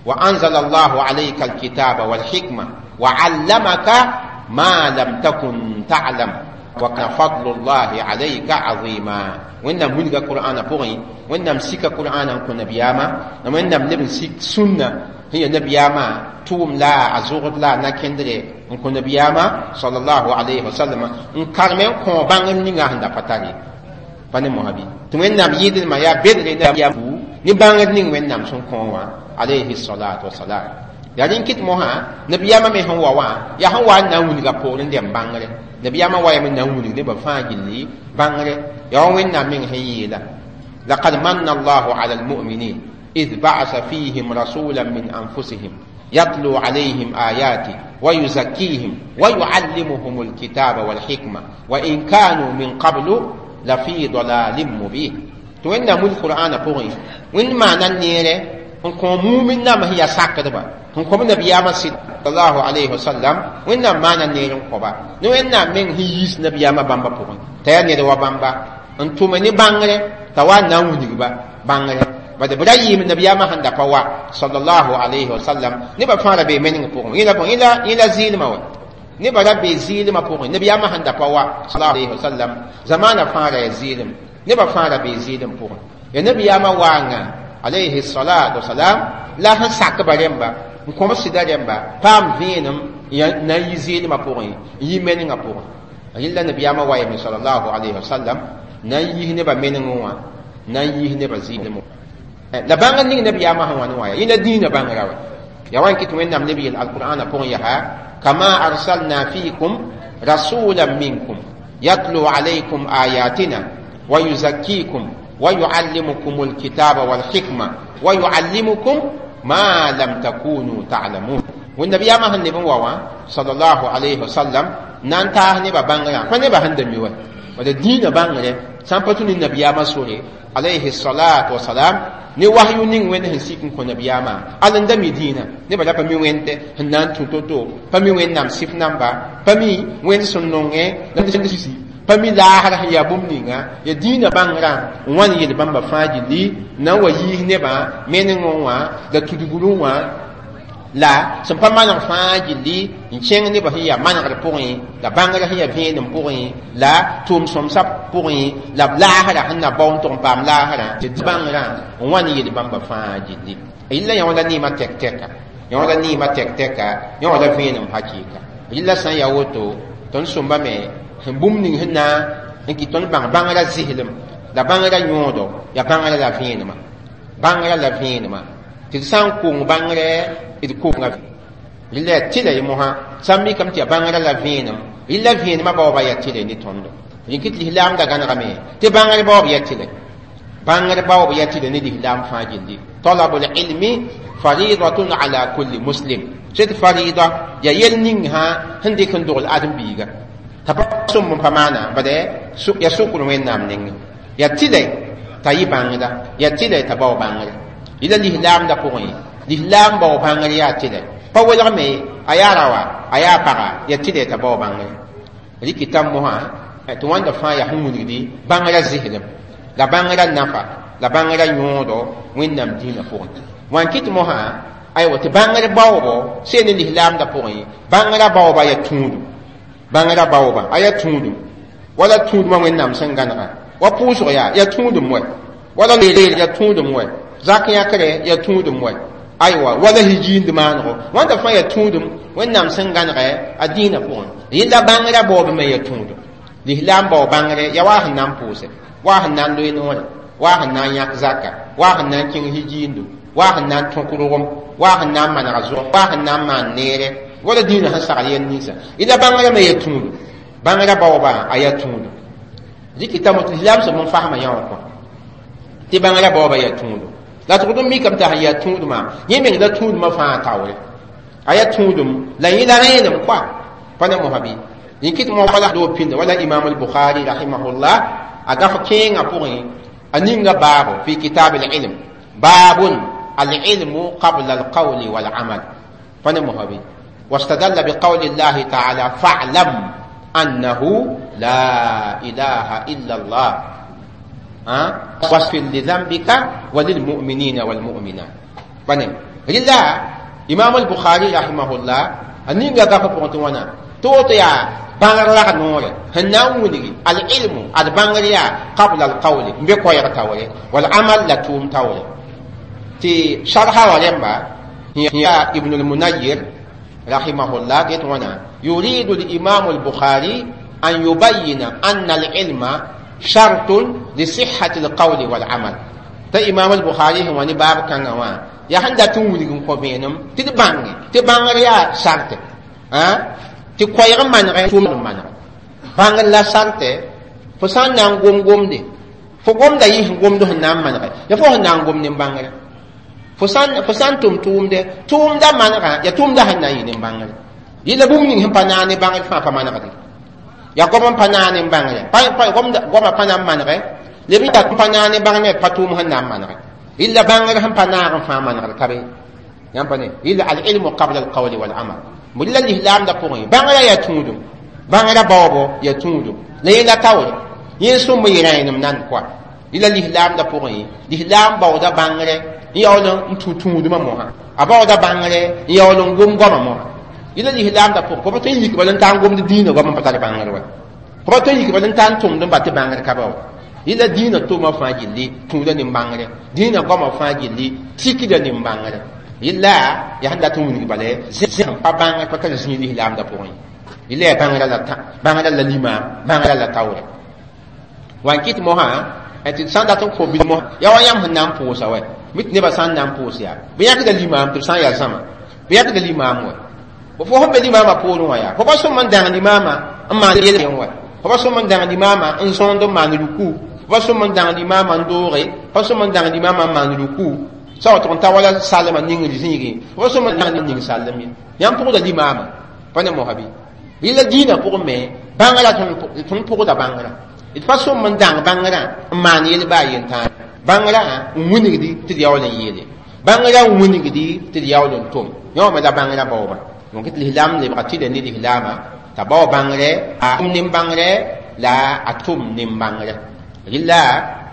Wa anzala allahu alayka alkitaba walhikma wa allamaka ma lam takun ta'lam wa kana fadlullahi alayka azima. Wẽnnaam wilga qur'ana pʋgẽ, Wẽnnaam sika qur'ana n kõ nabiyaamã, la Wẽnnaam leb n sik sũnna sẽn ya nabiyaamã tʋʋm la a zʋgd la a na-kẽndre n kõ nabiyaamã sallallahu alayhi wa sallam n karme n kõ bãngr ninga sẽn da pa tar ye. Pa ne mosã bɩ tɩ Wẽnnaam yɩɩdlmã yaa bedre ya ne bãngr ning Wẽnnaam sẽn kõ wã alayhi salatu wasalam. Yaa rẽn kɩt mosã nabiyaamã me sẽn wa wã yaa sẽn wa n na n wilga poorẽ dɛm bãngre. Nabiyaamã wayame n na n wilg nebã fãa gilli bãngre. Yaa wa Wẽnnaam meng sẽn yeela: laqad manna allahu ala almuminin id ba'asa fihim rasulan min anfusihim يتلو عليهم آياته ويزكيهم ويعلمهم الكتاب والحكمة وإن كانوا من قبل لفي ضلال مبين. tɩ Wẽnnaam wil qur'ana pʋgẽ Wẽnd maana neere n kõ mumin nam sẽn yaa sakdba n kõ nabiyaamã sallallahu alayhi wasallam. Wẽnnaam maana neer n kõba ne Wẽnnaam meng sẽn yiis nabiyaamã bãmba pʋgẽ t'a yaa ned wa bãmba n tʋme ne bãngre t'a wa n na n wilgba bãngre. Bad b ra yɩɩm nabiyaamã sẽn da pa wa sallallahu alayhi wasallam nebã fãa ra bee meneng pʋgẽ yẽ la zɩɩlmã wa nebã ra bee zɩɩlmã pʋgẽ nabiyaamã sẽn da pa wa sallallahu alayhi wasallam zamaana fãa ra yaa zɩɩlem nebã fãa ra bee zɩɩlem pʋgẽ ya nabiyaamã waanga alayhi salatu wasalam la sẽn sakba rẽmba n kõm sɩda rẽmba paam vẽenem na n yi zɩɩlmã pʋgẽ n yi menengã pʋgẽ. Yella nabiyaamã wa yame sallallahu alayhi wasallam na n yis nebã menengẽ wã na n yis nebã zɩɩlem la bãngr ning nabiyaamã sẽn wa ne wã ya yẽla dĩinã bãngrã wa ya wa n kɩt Wẽnnaam neb yel alqur'ana pʋgẽ yaa kama arsalna fikum rasulan minkum yatlu alaykum ayatina wa yuzakkikum wa yuallimukum alkitaba walhikma wa yuallimukum ma lam takunu ta'lamun. Wẽnd nabiyaamã sẽn leb n wa wã sallallahu alayhi wasallam na n taas nebã bãngrã pa nebã sẽn da mi wa wala dĩinã bãngre sã n pa tũ ne nabiyaamã sore alayhi salatu wasalam ne wahyu ning Wẽnd sẽn sik n kõ nabiyaamã al n da mi dĩinã nebã la pa mi wẽnde sẽn na n tũ to-to pa mi Wẽnnaam sɩf namba pa mi Wẽnd sẽn nongẽ la sisi pa mi laasr sẽn yaa bũmb ninga ya dĩinã bãngrã n wa n yel bãmba fãa gilli na n wa yiis nebã menengẽ wã la tudgrẽ wã la sẽn pa maneg fãa gilli n kẽng nebã sẽn yaa manegr pʋgẽ la bãngrã sẽn yaa vẽenem pʋgẽ la tʋʋm-sõmsã pʋgẽ la b laasrã sẽn na bao n tʋg n paam laasrã tɩ bãngrã n wa n yel bãmba fãa gilli. Yella yã wã la neemã tɛk-tɛka, yã wã la neemã tɛk-tɛka, yã wã la vẽenem hakɩɩka. Yella sã n yaa woto tõnd sõmbame sẽn bũmb ning sẽn na n kɩ tõnd bãng bãngrã zɩslem la bãngrã yõodo yaa bãngrã la vẽenemã, bãngrã la vẽenemã tɩ d sã n kong bãngrɛ d konga rɩla yaa tɩla ye mosã sã n mikame tɩ yaa bãngrã la vẽenem rɩla vẽenemã baoobã yaa tɩla ne tõndo rẽn kɩ tɩ lislaamda gãnegame tɩ bãngr baoob yaa tɩlɛ, bãngr baoob yaa tɩlɛ ne lislaam fãa gilli. Talabul ilmi faridatun ala kulli muslim sed farida yaa yel ning sã sẽn dɩk n dogl ãdem-biiga t'a pa sõmb n pa maana bad yaa sʋkr Wẽnnaam nengẽ yaa tɩlɛ t'a yɩ bãngda yaa tɩlɛ t'a bao bãngre yɩla lislaamda pʋgẽ lislaam bao bãngr yaa tɩlɛ pa welgme a yaa raoa a yaa paga yaa tɩlɛ t'a bao bãngre rɩkɩta mosã tɩ wãnda fãa yaa sẽn wilgdi bãngrã zɩslem la bãngrã nafa la bãngrã yõodo Wẽnnaam dĩinã pʋgẽ wã n kɩt mosã aywa tɩ bãngr baoobo seen ne lislaamda pʋgẽ bãngrã baooba yaa tũudum, bãngrã baooba a yaa tũudum wala tũudmã Wẽnnaam sẽn gãnega wa pʋʋsg yaa yaa tũudum wɛ wala leel yaa tũudum wɛ zak yãkre yaa tũudum wɛ aywa wala hijiind maanego wãnda fãa yaa tũudum Wẽnnaam sẽn gãnegɛ a dĩinã pʋgẽ yẽla bãngrã baoob me yaa tũudum lislaam bao bãngre yaa waa sẽn na n pʋʋse waa sẽn na n loe noore waa sẽn na n yãk zaka waa sẽn na n kẽng hijiindo waa sẽn na n tõk rogem waa sẽn na n maneg zʋg waa sẽn na n maan neere wala dĩinã sẽn sagl yɛl ninsã yẽla bãngrã me yaa tũudum bãngrã baoobã a yaa tũudum rɩkɩta tɩ lislaam sẽb n fasmã yã wã kõ tɩ bãngrã baoobã yaa tũudum la tɩ d mikame t'a sẽn yaa tũudmã yẽ meng la tũudmã fãa taoore a yaa tũudum la yẽ la rẽenem koa pa ne mosã bɩ yẽ kɩt mos wala doo pĩnda wala imam al-Bukhari rahimahullah a gaf kẽengã pʋgẽ a ninga baabo fi kitab al-ilm babun al-ilmu qabla al-qawli wal-amal pa ne mosã bɩ واستدل بقول الله تعالى فاعلم أنه لا إله إلا الله. Wasfir li dhanbika wa lil mu'minina wal mu'minat. Bane rilla Imam al-Bukhari rahimahullah a ninga gapa pʋgẽ tɩ wãna tɩ woto yaa bãngr rag noore sẽn na n wilgi al-ilmu ad bãngr yaa qabla al-qawli n be koɛɛg taoore wal amal la tʋʋm taoore tɩ sharha wã rẽmba yaa Ibn al-Munayyir rahimahullah get wãna yuridu al-imam al-Bukhari an yubayyina anna al-ilma shartun li sihhati al-qawli wal amal t'a Imam al-Bukhari sẽn wa ne baab kãngã wã yaa sẽn dat n wilg n kõ vẽenem tɩ d bãnge tɩ bãngr yaa sarte tɩ koɛɛg n manegɛ tʋʋm n maneg bãngr la sarte fo sã n na n gom gomde fo gomda yɩ sẽn gomd sẽn na n manegɛ ya fo sẽn na n gom nin-bãngrã fo sã n tʋm tʋʋmde tʋʋmda manegã ya tʋʋmda sẽn na n yɩ nin-bãngrã yɩla bũmb ning sẽn pa naag ne bãngr fãa pa manegde ya goam n pa naag nin-bãngrã goamã pa na n manegɛ leb n pa naag ne bãngr pa tʋʋm sẽn na n manegɛ illa bãngr sẽn pa naag n fãa manegd ka be yãmb pa ne illa al-ilmu qabla al-qawli wal-amal la lislaamdã pʋgẽ bãngrã yaa tũudum bãngrã baoobo yaa tũudum la yẽ la taoore yẽ sõm yɩ rãenem nan koa yɩla lislaamdã pʋgẽ lislaam baooda bãngrɛ n yaool n tũ tũudmã mosã a baooda bãngrɛ n yaool n gom goamã mosã yɩla lislaamdã pʋgẽ fo pa tõe n yik bala n taa n gomd dĩinã goam n pa tar bãngr wa fo pa tõe n yik bala n taa n tʋmd n ba tɩ bãngr ka ba wa yɩla dĩinã tʋʋmã fãa gilli tũuda nin-bãngrɛ dĩinã goamã fãa gilli tikda nin-bãngrɛ yɩla yaa sẽn dat n wilg bala zẽ pa bãngr pa tar zĩig lislaamdã pʋgẽ yɩla yaa bãngrã la bãngrã la limaam bãngrã la taoore wa n kɩt mosã tɩ sã n dat n kõ bil mosã yaa wa yãmb sẽn na n pʋʋsa wɛ mi tɩ nebã sã n na n pʋʋs yaa bɩ yãkda limaam tɩ b sã n yaa zãma bɩ yãkda limaam wɛ fo sẽn be limaamã poorẽ wã yaa fo pa sõm n dãng limaamã n maan yel wɛ fo pa sõm n dãng limaamã n zõond n maan ruku fo pa sõm n dãng limaamã n dooge fo pa sõm n dãng limaamã n maan ruku sa wa tʋg n ta wala salmã ningr zĩigẽ fo pa sõm n dãng ning sallem ye yãmb pʋgda limaamã pa ne mosa bɩ yɩla dĩinã pʋgẽ me bãngrã tõnd pʋgda bãngrã d pa sõm n dãng bãngrã n maan yel baa yentãag bãngrã n wilgdi tɩ d yaool n yeele bãngrã n wilgdi tɩ d yaool n tʋm yã wã me la bãngrã baooba donc tɩ lislaam lebga tɩda ne lislaamã t'a bao bãngrɛ a tʋm nin-bãngrɛ la a tʋm nin-bãngrɛ rɩla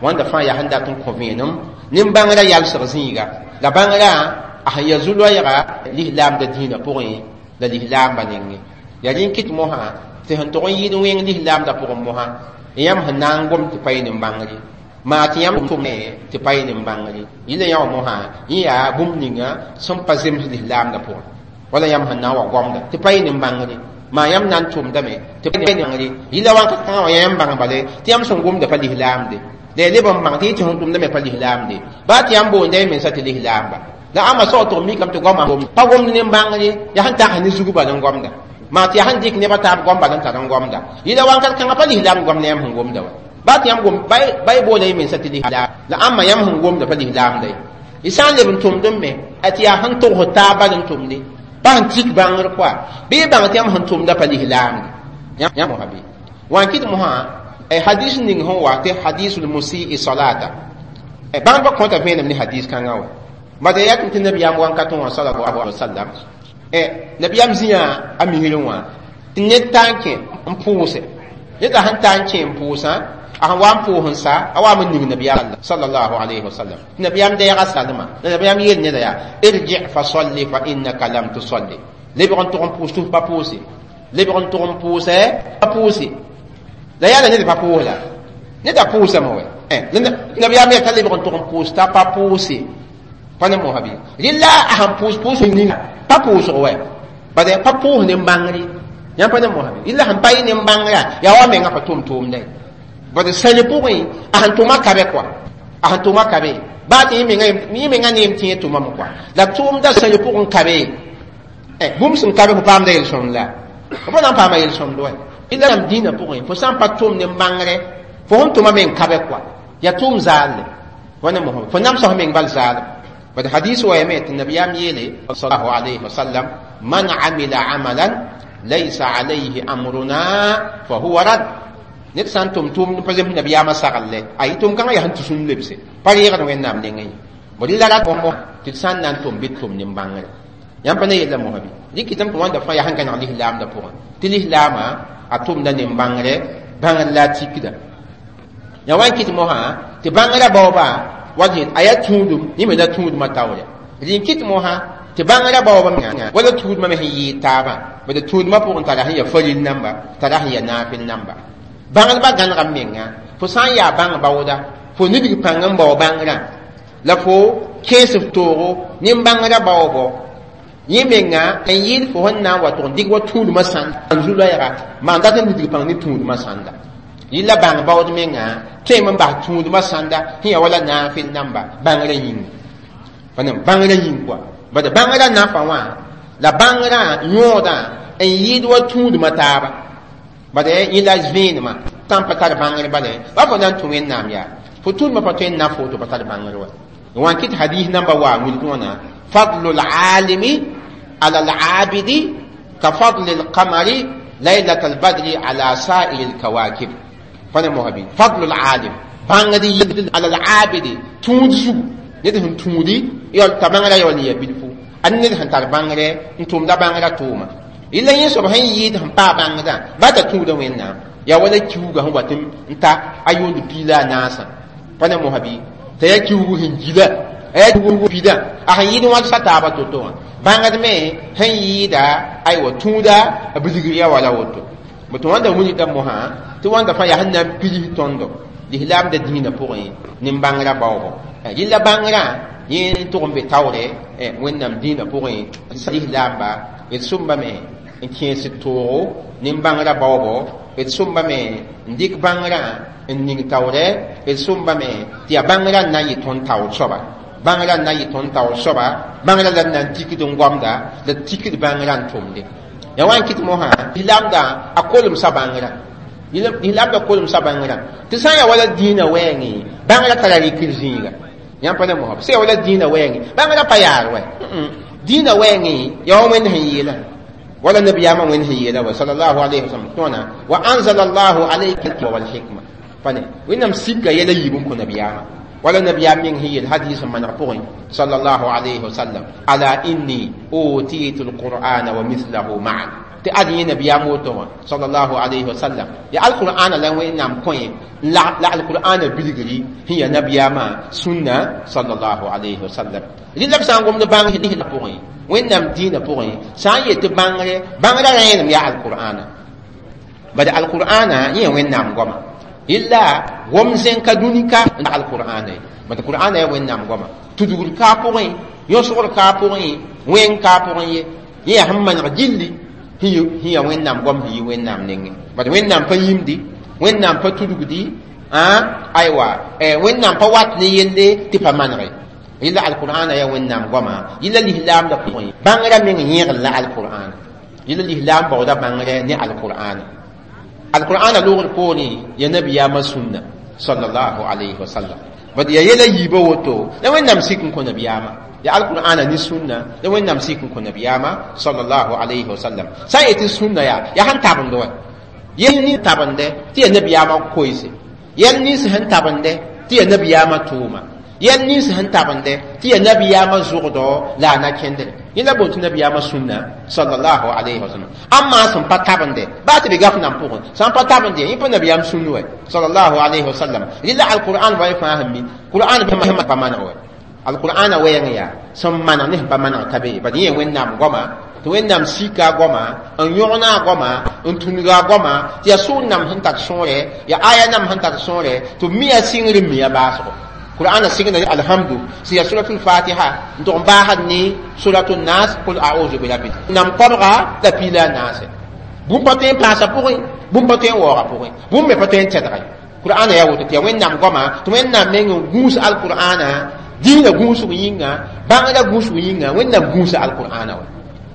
wãnda fãa yaa sẽn dat n kõ vẽenem nin-bãngrã yalsg zĩiga la bãngrã a sẽn yaa zu-loɛɛga lislaamdã dĩinã pʋgẽ la lislaambã nengẽ yaa rẽ n kɩt mosã tɩ sẽn tog n yɩɩd wẽng lislaamdã pʋgẽ mosã yãmb sẽn na n gom tɩ pa yɩ nin-bãngr ye maa tɩ yãmb tʋme tɩ pa yɩ nin-bãngr ye yɩla yã wã mosã yẽ yaa bũmb ninga sẽn pa zems lislaamdã pʋgẽ wala yãmb sẽn na n wa goamda tɩ pa yɩ nin-bãngr ye maa yãmb na n tʋmdame tɩ pa yɩ nin-bãngr ye yɩla wãnka kãngã wã yãmb bãng bale tɩ yãmb sẽn gomda pa lislaamde la ya leb n bãng tɩ yɩ tɩ sẽn tʋmdame pa lislaamde baa tɩ yãmb boonda y mensa tɩ lislaamba la ãmba sao tʋg mikame tɩ goamã pa gomd nin-bãngr ye yaa sẽn tag ne zug bal n gomda maa tɩ yaa sẽn dɩk nebã taab goam bal n tar n gomda yɩla wãnkat kãngã pa lislaam goam ne yãmb sẽn gomda wa baa tɩ yãmb gom ba y boola y mensa tɩ lislaam la ãmba yãmb sẽn gomda pa lislaamda ye y sã n leb n tʋmd n me tɩ yaa sẽn togs taab bal n tʋmde pa sẽn tik bãngr koa bɩ y bãng tɩ yãmb sẽn tʋmda pa lislaamde yãmb mosã bɩ wa n kɩt mosã hadis ning sẽn wa tɩ hadisul musii salata bãngdbã kõta vẽenem ne hadis kãngã wa bala yaa tɩ nabiyaam wãnkat wã sallallahu alaihi wasallam nabiyaam zĩa a misrẽ wã tɩ ned taa n kẽ n pʋʋse ned a sẽn taa n kẽ n pʋʋsã a sẽn wa n pʋʋs n sa a waam n ning nabiyaam sallallahu alaihi wasallam tɩ nabiyaam deega salma la nabiyaam yeel neda yaa irji fa salli fa innaka lam tusalli lebg n tʋg n pʋʋs tɩ f pa pʋʋse lebg n tʋg n pʋʋsɛ pa pʋʋse la yaa la ned pa pʋʋs la ned a pʋʋsame wɛ nabiyaam yaa t'a lebg n tʋg n pʋʋs t'a pa pʋʋse pa ne mosã bɩ rɩla a sẽn pʋʋs pʋʋs ning pa pʋʋsg wɛ bala pa pʋʋs nin-bãngr ye yãmb pa ne mosã bɩ rɩla sẽn pa yɩ nin-bãngrã yaa wa menga pa tʋm tʋʋmda ye bad sãli pʋgẽ a sẽn tʋma ka be koa a sẽn tʋma ka be baa tɩ yẽ menga neem tɩ yẽ tʋmame koa la tʋʋmda sãli pʋgẽ ka be bũmb sẽn ka be fo paamda yel-sõmd la fo pa na n paama yel-sõmd wa rɩla yãmb dĩinã pʋgẽ fo sã n pa tʋm nin-bãngrɛ fo sẽn tʋma meng ka be koa yaa tʋʋm zaalle wa ne mosã fo namsa fo meng bal zaalem bad hadis wa yame tɩ nabiyaam yeele sallallahu alayhi wa sallam man amila amalan laysa alayhi amruna fa huwa rad ned sã n tʋm tʋʋmd pa zems nabiyaamã saglle a yɩ tʋm kãngã yaa sẽn tɩ sũn lebse pa reegd wẽnnaam nengẽ ye bõ rɩla ra tɩ d sã n na n tʋm bɩ d tʋm nin-bãngre yãmb pa ne yella mosã bɩ dɩk tɩm tɩ wãnda fãa yaa sẽn gãneg lislaamdã pʋgẽ tɩ lislaamã a tʋmda nin-bãngre bãngr la a tikda Ya wan kɩt mosã tɩ bãngrã baooba wa a yaa tũudum yẽ me la tũudmã taoore rɩ n kɩt mosã tɩ bãngrã baooba menga wala tũudmã me sẽn yɩɩd taabã bad tũudmã pʋgẽ tara sẽn yaa faril namba tara sẽn yaa naafɩl namba bãngdbã gãnega m menga fo sã n yaa bãng baooda fo nidg pãng n bao bãngrã la fo kẽes f toogo nin-bãngrã baoobo yẽ menga n yɩɩd fo sẽn na n wa tʋg n dɩk wa tũudmã sãnd n zu-loɛɛga maan dat n nidg pãng ne tũudmã sãnda yɩla bãng baood menga tõeme n bas tũudmã sãnda sẽn yaa wala naafɩl namba bãngrã yĩnga pa bãngrã yĩng kɔa bad bãngrã nafa wã la bãngrã yõodã n yɩɩd wa tũudmã taaba bad yẽ la vẽenemã sã n pa tar bãngr bala ba fo na n tũ wẽnnaam yaa fo tũudmã pa tõe n na foto pa tar bãngr wa wan kɩt hadis namba wa wilg wãna fadlu alimi ala alabidi ka fadli alqamari laylat albadri ala sa'iri alkawakib pa ne mosabi fadlu alalim bãngd yel ala alabidi tũud zugu ned sẽn tũudi t'a bãngrã yaool n ya bilfu a ned sẽn tar bãngrɛ n tʋmda bãngrã tʋʋma yella yẽ soab sẽn yɩɩd sẽn paa bãngdã ba t'a tũuda wẽnnaam yaa wala kiuga sẽn wat n ta a yʋʋnd piila a naasã pa ne mosa bɩ t'a yaa kiugu sẽn gila a yaa kiugu pida a sẽn yɩɩd wãgsa taaba to-to wã bãngd me sẽn yɩɩda aywa tũuda a bilgr ya wala woto tɩ wãnda wilgda mosã tɩ wãnda fãa yaa sẽn na n pils tõndo lislaamda dĩinã pʋgẽ nin-bãngrã baoobo yella bãngrã yẽ tʋg n be taoore wẽnnaam dĩinã pʋgẽ lislaamba d sʋmbame n kẽes toogo nin-bãngrã baoobo d sʋmbame n dɩk bãngrã n ning taoorɛ d sʋmbame tɩ yaa bãngrã n na n yɩ tõnd taoor soaba bãngrã n na n yɩ tõnd taoor soaba bãngrã la n na n tikd n goamda la tikd bãngrã n tʋmde ya wa n kɩt mosã lislaamdã a kolemsa bãngrã lislaamda kolemsa bãngrã tɩ sã n yaa wala dĩinã wɛɛngẽ bãngrã tara rɩkr zĩiga yãmb pa ne mosã sã yaa wala dĩinã wɛɛngẽ bãngrã pa yaar wɛ dĩinã wɛɛngẽ yaa wa wẽnd sẽn yeelã wala nabiyaamã wẽnd sẽn yeela wa sallallahu alayhi wa sallam tõona wa anzala allahu alayka wal hikma pa ne wẽnnaam sika yɛla yiib n kõ nabiyaamã wala nabiyaam meng sẽn yeel hadis n maneg pʋgẽ sallallahu alayhi wa sallam ala inni utitu alqur'ana wa mithlahu ma'a tɩ ad yẽ nabiyaam woto wã sallallahu alayhi wa sallam ya alqur'ana la wẽnnaam kõ yẽ la alqur'ana bilgri sẽn yaa nabiyaamã sũnna sallallahu alayhi wa sallam rɩla b sã n gomd bãng la pʋgẽ wẽnnaam dĩinã pʋgẽ sã n yet tɩ bãngre bãngrã rẽenem yaa alqur'ana bad alqur'ana yẽ wẽnnaam goama illa gom zẽnka dũni-ka alqur'ana ye bad qur'ana yaa wẽnnaam goama tudgr kaa pʋgẽ yõsgr kaa pʋgẽ wẽng kaa pʋgẽ ye yẽ yaa sẽn maneg gilli sẽn yaa wẽnnaam goam sẽn yi wẽnnaam nengẽ bad wẽnnaam pa yĩmdi wẽnnaam pa tudgdi aywa wẽnnaam pa wat ne yelle tɩ pa manege yella alqur'ana yaa wẽnnaam goama yella lislaamda pʋgẽ bãngrã meng yẽgl la alqur'ana yella lislaam baooda bãngrɛ ne alqur'ana alqur'ana loogr poorẽ ya nabiyaamã sũnna sallallahu alayhi wa sallam bad ya yɛla yiibã woto la wẽnnaam sik n kõ nabiyaamã ya alqur'ana ne sũnna la wẽnnaam sik n kõ nabiyaamã sallallahu alayhi wa sallam sã n yetɩ sũnna yaa yaa sẽn tabend wa yɛl nin tabende tɩ yaa nabiyaamã koeese yɛl nins sẽn tabende tɩ yaa nabiyaamã tʋʋma yɛl nins sẽn tabende tɩ yaa nabiyaamã zʋgdɔ la a na kẽndre yẽ la boon tɩ nabiyaamã sũnna sallallahu alayhi wa sallam ãmma sẽn pa tabende baa tɩ be gaf nan pʋgẽ sã n pa tabende yẽ pa nabiyaam sũnn wɛ sallallahu alayhi wa sallam rɩla alqur'an wa fãa sẽn mi qur'an pa maneg wɛ alqur'ana wɛɛng yaa sẽn maneg ne sẽn pa maneg ka be bad yẽ wẽnnaam goama tɩ wẽnnaam sika a goama n yõgna a goama n tũnga a goama tɩ yaa sʋʋr nam sẽn tar sõore yaa aya nam sẽn tar sõore tɩ b mi a sɩngr n mi a baasgo qur'ana sɩngda alhamdu sẽn yaa suratul fatiha n tʋg n baasd ne suratul nas qul a'udhu bi rabbil nam kɔbga la piila a naase bũmb pa tõe n paasa pʋgẽ bũmb pa tõe n waooga pʋgẽ bũmb me pa tõe n tɛdge qur'ana yaa woto tɩ yaa wẽnnaam goama tɩ wẽnnaam meng n gũus alqur'ana dĩinã gũusg yĩnga bãngrã gũusg yĩnga wẽnnaam gũusa alqur'ana wa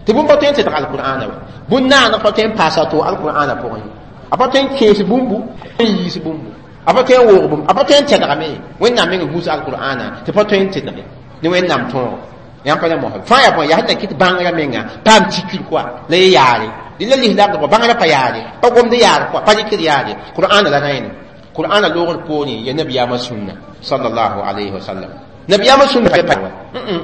tɩ bũmb pa tõe n tɛdg alqur'ana wa bũn-naaneg pa tõe n paasa to alqur'ana pʋgẽ a pa tõe n kẽes bũmbu n yiis bũmbu a pa tõe n woog bũmb a pa tõe n tɛdgame wẽnnaam meng gũus alqur'ana tɩ pa tõe n tɛdge ne wẽnnaam tõogo yãmb pa ne mosã fãa yaa bõe yaa sẽn na kɩt bãngrã menga paam tikr koa la ye yaare la lislaamdã kɔa bãngrã pa yaare pa gomd yaar koa pa rɩkd yaare qur'ana la rẽenem qur'ana loogr poorẽ ya nabiyaamã sũnna sallallahu alayhi wa sallam nabiyaamã sũnna pa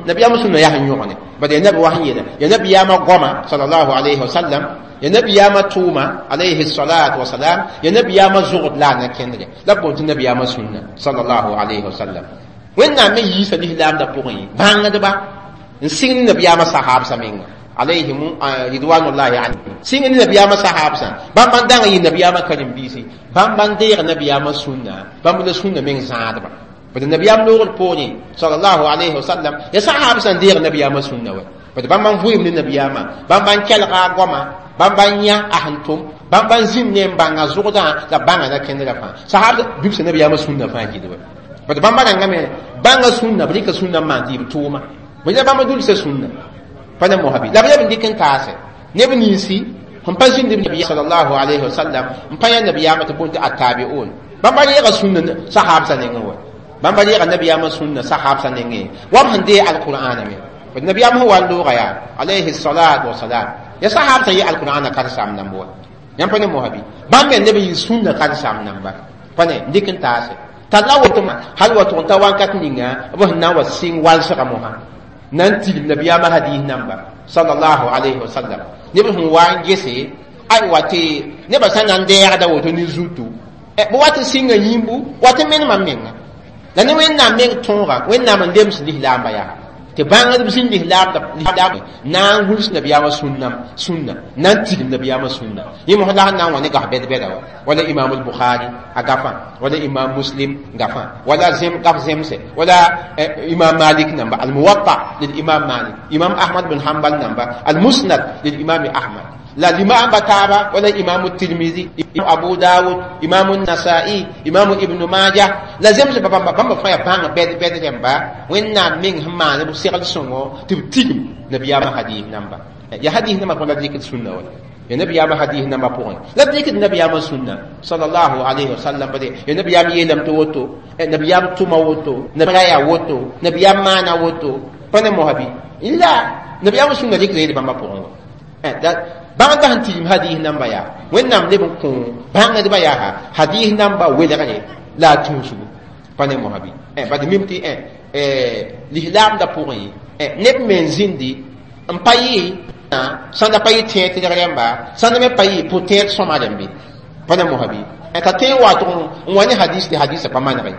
Nabiyaam sũnna yaa sẽn yõgne bad ya nabi wa sẽn yeela ya nabiyaamã goama sallallahu alayhi wa sallam, ya nabiyaamã tʋʋma alayhi salatu wasalam, ya nabiyaamã zogd la a na kẽndre la b boond tɩ nabiyaamã sũnna sallallahu alayhi wa sallam. Wẽnnaam me yiisa lislaamdã pʋgẽ bãngdba n sɩng ne nabiyaamã sahaabsã menga alayhim ridwanullahi alayhim, sɩng ne nabiyaamã sahaabsã, bãmb n dãng yɩ nabiyaamã karen-biisi, bãmb n deeg nabiyaamã sũnna, bãmb la sũnna meng zãadba. Bad nabiyaam loogr poorẽ sallallahu alayhi wa sallam, ya sahaabsã n deeg nabiyaamã sũnna wa, bad bãmb n vʋɩɩm ne nabiyaamã, bãmb n kelga a goama, bãmb n yã a sẽn tʋm, bãmb n zĩnd ne n bãnga zʋgdã la bãnga na kẽndrã fãa. Sahaab bibsa nabiyaamã sũnna fãa gilwa, bad bãmba rãngame bãnga sũnna, b rɩka sũnna n maan tɩ y b tʋʋma bõe la bãmba dulsa sũnna pa ne mosabi la b leb n dɩk n taase neb ninsi sẽn pa zĩnd nabi sallallahu alayhi wa sallam n pa yã nabiyaamã tɩ boond tɩ attabiun. Bãmba reega sũnna sahaabsã nengẽ wa, bãmba reega nabiyaamã sũnna sahaabsã nengẽ wa b sẽn dee alqur'ana me. Bad nabiyaam sẽn wa n looga yaa alayhi salatu wasalam, ya sahaabsã yɩ alqur'ana karen-saam namba wa, yãmb pa ne mosabi bãmb me neb n yɩ sũnna karen-saam namba pa ne n dɩk n taase t'a la woto hal wa tʋg n ta wãnkat ninga b sẽn na n wa sɩng walsga mosã na n tigim nabiyaamã hadis namba sallallahu alayhi wa sallam. Neb sẽn wa n gese aywa tɩ nebã sã na n deegda woto ne zutu b wat n sɩnga yĩmbu wat n menemã menga la ne Wẽnnaam meng tõoga, Wẽnnaam n lems lislaamba yaa tɩ bãngdb zĩnd lislaamda na n gʋls nabiyaamã sũnna na n tigim nabiyaamã sũnna. Yẽ mos la sẽn na n wa ne gaf bɛd-bɛda wa, wala imam al-Bukhari a gafã, wala imam Muslim gafã, wala zem gaf zemse, wala imam Malik namba al-Muwatta lil imam Malik, imam Ahmad bin Hanbal namba al-Musnad lil imam Ahmad, la limam taaba, wala imam Tirmizi, Abu Dawud, imam Nasa'i, imam Ibn Majah la zemse bãmba bãmba fãa yaa bãng bɛd bɛd rẽmba. Wẽnnaam meng sẽn maan b segl sõngo tɩ b tigim nabiyaamã hadis namba. Ya hadis namba pʋgẽ la b dɩkd sũnna wa, ya nabiyaamã hadis namba pʋgẽ la b dɩkd nabiyaamã sũnna sallallahu alayhi wa sallam. Bade ya nabiyaam yeelame tɩ woto, nabiyaam tʋma woto, nabra yaa woto, nabiyaam maana woto, pa ne mosabi la nabiyaamã sũnna dɩkda yel bãmba pʋgẽ wa. Bãngdbã sẽn tigim hadis namba yaa Wẽnnaam leb n kõ bãngdbã yaa hadis namba welgre la a tũusgu pa ne mosabi. Bad mim tɩ lislaamdã pʋgẽ neb me n zĩndi n pa yɩ sãnda pa yɩ tẽed rẽmba, sãnda me pa yɩ pʋ-tẽed sõma rẽmbe pa ne mosabi t'a tõe n wa tʋg n wa ne hadis tɩ hadisã pa manege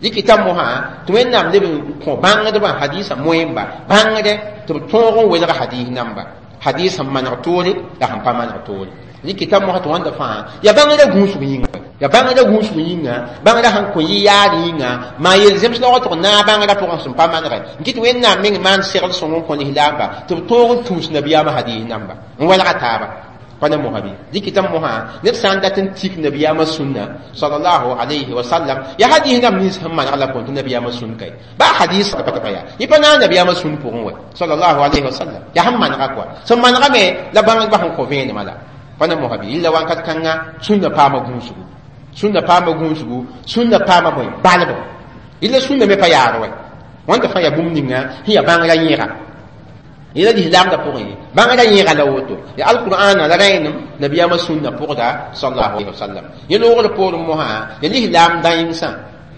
dɩkɩta mosã tɩ Wẽnnaam leb n kõ bãngdbã hadisã moẽmba bãngdɛ tɩ b tõog n welg hadis namba, hadis sẽn maneg toore la sẽn pa maneg toore. Dɩkɩta mosã tɩ wãnda fãa ya bãngrã gũusg yĩnga, ya bãngrã gũusg yĩnga, bãngrã sẽn kõ yɩ yaar yĩnga maa yel zems la tɩg naag bãngrã pʋgẽ sẽn pa manegɛ n kɩt Wẽnnaam meng maan segl sõng n kõ lislaamba tɩ b tõog n tũus nabiyaamã hadis namba n welga taaba pa ne mosabi. Dɩkɩta mosã ned sã n dat n tik nabiyaamã sũnna sallallahu alayhi wa sallam, ya hadis nam nins sẽn maneg la põn tɩ nabiyaamã sũn kae ba hadis pa tɩ pa yaa yẽ pa naag nabiyaamã sũn pʋgẽ wa sallallahu alayhi wa sallam, ya sẽn manega kɔa sẽn manegame la bãngdbã sẽn kõ vẽenemã la pa ne mosabi. Yilla wãnkat kãnga sũnna paama gũusgu, sũnna paama gũusgu, sũnna paama bõe balbo, yella sũnna me pa yaar wɛ wãnda fãa yaa bũmb ninga sẽn yaa bãngrã yẽga yẽla lislaamdã pʋgẽ bãngrã yẽga la woto ya alqur'ana la rẽenem nabiyaamã sũnna pʋgda sallallahu alaihi wasallam. Yẽ loogr poorẽ mosã ya lislaam dãensã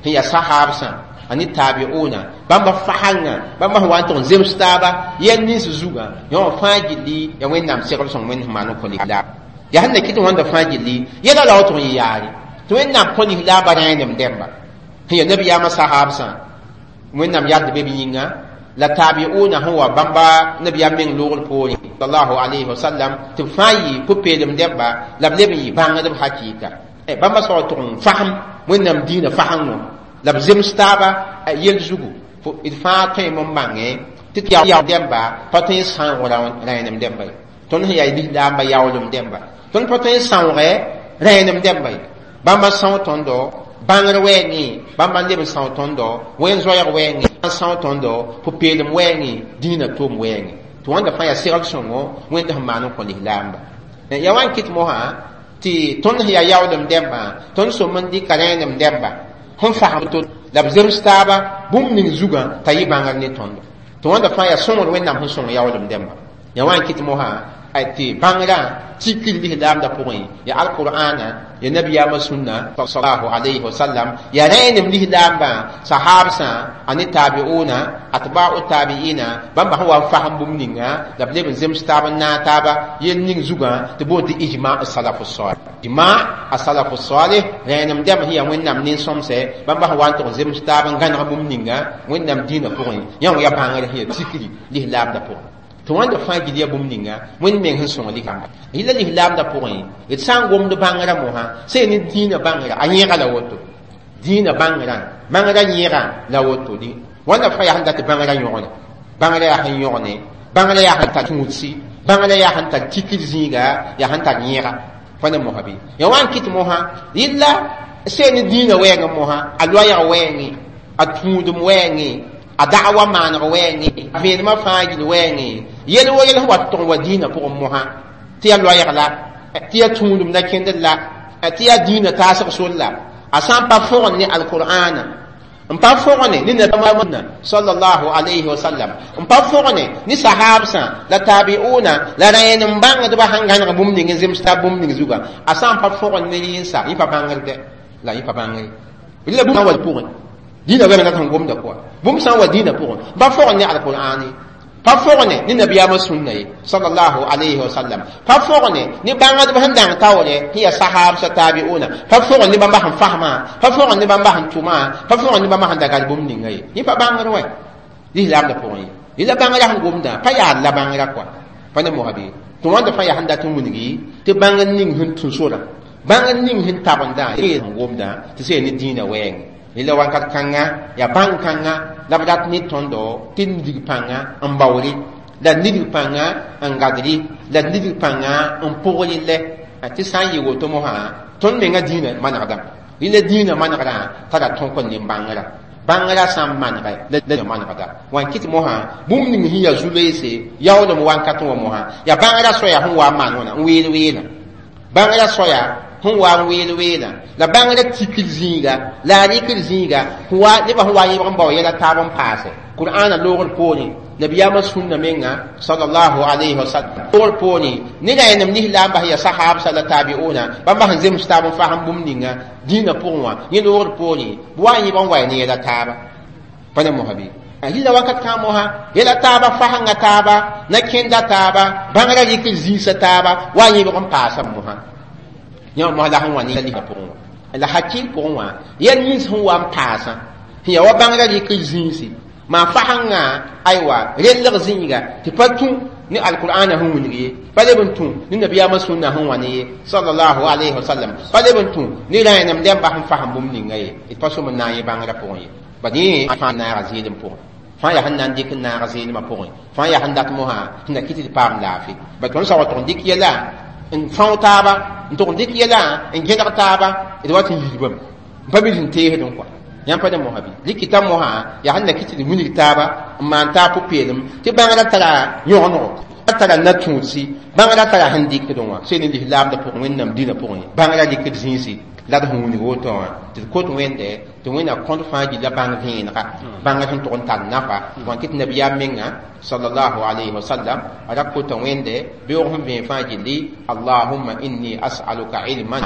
sẽn yaa sahaabsã ani tabi'una bãmba fasãngã, bãmba sẽn wa n tʋg n zems taaba yɛl nins zugã yã wã fãa gilli ya Wẽnnaam segl sõng Wẽnd sẽn maan n kõ lislaam ya sẽn na kɩt wãnda fãa gilli yɛla la wa tʋg n yɩ yaare tɩ Wẽnnaam kõ lislaambã rẽenem dẽmba sẽn yaa nabiyaamã sahaabsã Wẽnnaam yard be b yĩnga la tabi'una sẽn wa bãmba nabiyaam meng loogr poorẽ sallallahu alayhi wa sallam tɩ b fãa yɩ pʋ-peelem dẽmba la b leb n yɩ bãngdb hakɩɩka bãmba soab tʋg n fasem Wẽnnaam dĩinã fasẽngo la b zems taaba yel zugu d fãa tõeme n bãngẽ tɩ tɩ ya dẽmba pa tõe n sãoog rẽenem dẽmba ye, tõnd sẽn yaa lislaamba yaoolem dẽmba tõnd pa tõe n sãoogɛ rẽenem dẽmba ye. Bãmba são tõndo bãngr wɛɛngẽ, bãmba n leb n são tõndo wẽn-zoɛɛg wɛɛngẽ, n são tõndo pʋ-peelem wɛɛngẽ, dĩinã tom wɛɛngẽ tɩ wãnda fãa yaa segl sõngo Wẽnd sẽn maan n kõ lislaamba. Ya wa n kɩt mosã tɩ tõnd sẽn yaa yaoolem dẽmbã tõnd sõm n dɩka rẽenem dẽmba sẽn fasem to la b zems taaba bũmb ning zugã t'a yɩ bãngr ne tõndo tɩ wãnda fãa yaa sõngr Wẽnnaam sẽn sõng yaoolem dẽmba. Ya wa n kɩt mosã tɩ bãngrã tikr lislaamdã pʋgẽ ya alqur'ana ya nabiyaamã sũnna sallallahu alayhi wa sallam ya rẽenem lislaambã sahabsã a ne tabiuna atba'u tabi'ina bãmba sẽn wa n fasem bũmb ninga la b leb n zems taab n naag taaba yel ning zugã tɩ boond tɩ ijma salaf salih ijma a-salaf salih rẽenem dɛm sẽn yaa wẽnnaam nin-sõmsɛ bãmba sẽn wa n tʋg n zems taab n gãneg bũmb ninga wẽnnaam dĩinã pʋgẽ yã wã yaa bãngr sẽn yaa tikri lislaamdã pʋgẽ tɩ wãnda fãa gil yaa bũmb ninga wẽnd meng sẽn sõng lislaamba yɩla lislaamdã pʋgẽ d sã n gomd bãngrã mosã sẽn ne dĩinã bãngrã a yẽega la woto dĩinã bãngrã bãngrã yẽega la woto wãnda fãa yaa sẽn dat bãngrã yõgne bãngrã yaa sẽn yõgne bãngrã yaa sẽn tar tũudsi bãngrã yaa sẽn tar tikr zĩiga yaa sẽn tar yẽega pa ne mosã bɩ ya wa n kɩt mosã yɩla sẽn ne dĩinã wɛɛngẽ mosã a loɛɛg wɛɛngẽ a tũudem wɛɛngẽ a da'wa maaneg wɛɛngẽ a vẽenemã fãa gil wɛɛngẽ yel wa yel sẽn wa tʋg n wa dĩinã pʋgẽ mosã tɩ yaa loɛɛg la tɩ yaa tũudem na kẽndr la tɩ yaa dĩinã taasg sor la a sã n pa fõgen ne alqur'ana n pa fõgene ne nabiyaamã sallallahu alayhi wa sallam n pa fõgene ne sahabsã la tabiuna la rẽenem bãngdbã sẽn gãneg bũmb ning n zems taab bũmb ning zugã a sã n pa fõgen ne yẽnsa yẽ pa bãngr dɛ la yẽ pa bãngre la bũmb wa pʋgẽ dĩinã wɛɛng la sẽn gomda pʋgẽ bũmb sã n wa dĩinã pʋgẽ pa fõgen ne alqur'ane pa fõgene ne nabiyaamã sũnna ye sallallahu alayhi wa sallam pa fõgene ne bãngdb sẽn dãng taoore sẽn yaa sahabsã tabiuna pa fõgen ne bãmba sẽn fasmã pa fõgen ne bãmba sẽn tʋmã pa fõgen ne bãmba sẽn da gal bũmb ninga ye yẽ pa bãngr wɛ lislaamdã pʋgẽ ye yẽla bãngrã sẽn gomdã pa yaa la bãngrã kɔa pa ne mosã bɩ tɩ wãnda fãa yaa sẽn dat n wilgi tɩ bãngr ning sẽn tũ sorã bãngr ning sẽn tabendã sẽn gomdã tɩ sẽn ne dĩinã wɛɛngẽ yẽla wakat kãnga yaa bãng-kãnga la b rat ne tõndo tɩ nidg pãnga n baoore la nidg pãnga n gadre la nidg pãnga n pʋgre lɛ tɩ sã n yɩ woto mosã tõnd menga dĩinã manegdame rẽla dĩinã manegrã tara tõk n ne bãngrã bãngrã sã n manegɛ la manegda wã n kɩt mosã bũmb ning sẽn yaa zu-loeese yaoolem wakat wã mosã yaa bãngrã soaya sẽn wa n maan wãna n weel weelã bãngrã soaya sẽn wa n weel weelã la bãngrã tikr zĩiga la a rɩkr zĩiga nebã sẽn wa n yẽbg n bao yɛla taab n paase qur'ana loogr poorẽ nabiyaamã sũnna menga sallallahu alayhi wa sallam loogr poorẽ ne rẽenem lislaam bas yaa sahabsã la tabiuna bãmba sẽn zems taab n fasem bũmb ninga dĩinã pʋgẽ wã yẽ loogr poorẽ b wa n yẽbg n wa ne yɛla taaba pa ne mosã bɩ yɩla wakat kãa mosã yɛla taaba fasengã taaba na kẽnda taaba bãngrã rɩkr zĩisã taaba wa n yẽbg n paasa mosã yã mosã la sẽn wa ne yɛla pʋgẽ wã la hakɩɩl pʋgẽ wã yɛl nins sẽn wa n paasã sẽn yaa wa bãngrã rɩkr zĩisi maa fasengã aywa rellg zĩiga tɩ pa tũ ne alqur'ana sẽn wilg ye pa leb n tũ ne nabiyaamã sũnna sẽn wa ne ye sallallahu alayhi wa sallam pa leb n tũ ne rẽenem dẽmba sẽn fasem bũmb ninga ye d pa sõm n na n yẽ bãngrã pʋgẽ ye bad yẽ fãa naaga zɩɩlem pʋgẽ fãa yaa sẽn na n dɩk n naag zɩɩlemã pʋgẽ fãa yaa sẽn dat mosã tɩ na kɩ tɩ d paam laafɩ bad tõnd sa wa tʋg n dɩk yɛla n fão taaba n tʋg n dɩk yɛla n gẽdg taaba d wa tɩ n yiibame n pa bil sẽn teesdẽ kɔa yãmb pa ne mosã bɩ rɩkɩta mosã yaa sẽn na kɩ tɩ d wilg taaba n maan taab pʋ-peelem tɩ bãngrã tara yõgenego tara na-tũudsi bãngrã tara sẽn dɩkdẽ wã sẽn ne lislaamdã pʋgẽ wẽnnaam dĩnã pʋgẽ bãngrã rɩkd zĩisi la d sẽn wilg woto wã tɩ d kot wẽnde tɩ wẽnna kõd fãa gilla bãng vẽenega bãngr sẽn tʋg n tar nafa wã kɩ tɩ nabiyaam menga sallallahu alayhi wa sallam a ra kota wẽnde beoog sẽn vẽen fãa gilli allahumma inni as'aluka ilman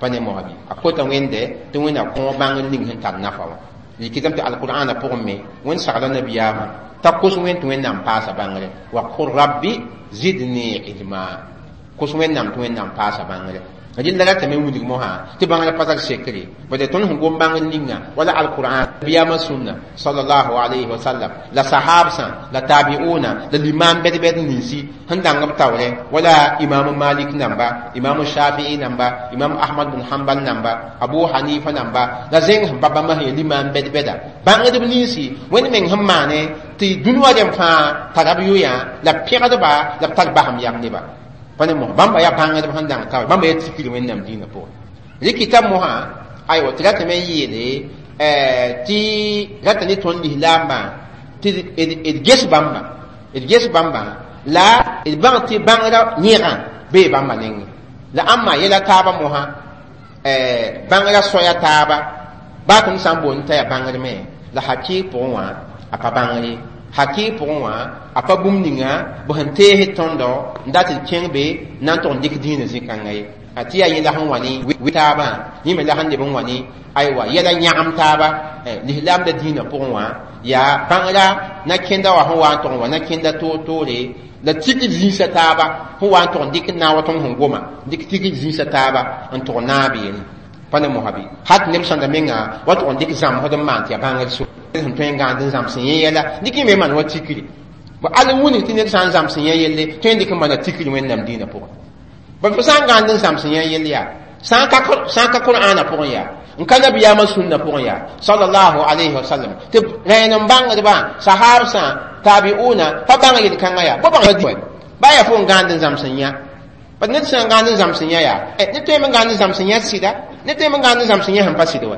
pa ne mosã bɩ a kota wẽnde tɩ wẽnna kõ bãngr ning sẽn tar nafa wã rɩkɩtame tɩ alqur'ana pʋgẽ me wẽnd sagla nabiyaamã t'a kos wẽnd tɩ wẽnnaam paasa bãngre wa qul rabbi zidni ilma kos wẽnnaam tɩ wẽnnaam paasa bãngre rɩlla ratame n wilg mosã tɩ bãngrã pa tar sekre bad tõnd sẽn gom bãngr ninga wala alqur'an nabiyaamã sũnna sallallahu alayhi wa sallam la sahabsã la tabiuna la limam bɛd-bɛd ninsi sẽn dãng b taoorɛ wala imam malik namba imam shafii namba imam ahmad bn hanbal namba abu hanifa namba la zẽng sẽn pa bãmba sẽn ya limam bɛd-bɛda bãngdb ninsi wẽnd meng sẽn maane tɩ dũni wã rẽm fãa tara b yoyã la b pẽgdba la b tar basem yam neba pa ne mosã bãmba yaa bãngdb sẽn dãng taoor bãmba yaa tikr wẽnnaam dĩinã pʋgẽ rɩkɩta mosã aywa tɩ ratame n yeele tɩ rata ne tõnd lislaambã tɩ d ges bãmba d ges bãmba la d bãng tɩ bãngrã yẽgã bee bãmba nengẽ la ãmba yɛla taabã mosã bãngrã soaya taaba baa tõnd sã n boond t'a yaa bãngr me la hakɩɩg pʋgẽ wã a pa bãngre Haki pʋgẽ wã a pa bũmb ninga b sẽn tees tõndo n dat d kẽng be na n tʋg n dɩk dĩinã zĩ-kãngã ye. A tɩ yaa yẽ la sẽn wa ne taabã, yẽ me la sẽn leb n wa ne aywa yɛla yãgem taaba lislaamda dĩinã pʋgẽ wã. Yaa bãngra na kẽnda wã sẽn wa n tʋg n wa na kẽnda toor-toore la tigr zĩisã taaba sẽn wa n tʋg n dɩk n naag wa tõnd sẽn goma dɩk tigr zĩisã taaba n tʋg naab yelle. Pa ne mosã bɩ hat neb sõnda menga wa tʋg n dɩk zãmsd n maan tɩ yaa bãngr so sẽn tõe n gãand n zãms yẽ yɛla dɩk yẽ me maan wa tikri. Bõ al n wilg tɩ ned sã n zãms yẽ yelle tõe n dɩk n maana tikri Wẽnnaam dĩinã pʋgẽ. Bõe fo sã n gãand n zãms yẽ yell yaa sã n ka Qur'aana pʋgẽ yaa n ka nabiyaamã sũnna pʋgẽ yaa sallallahu alayhi wa sallam tɩ rẽen n bãngdbã sahaabsã tabi'una pa bãng yel-kãngã yaa bõ bãng ba yaa fo n gãand n zãms n yã. Bad ned sã n gãand n zãms n yã yaa ned tõe n gãand n zãms n yã sɩda, ned tõe n gãand n zãms n yã sẽn pa sɩd wa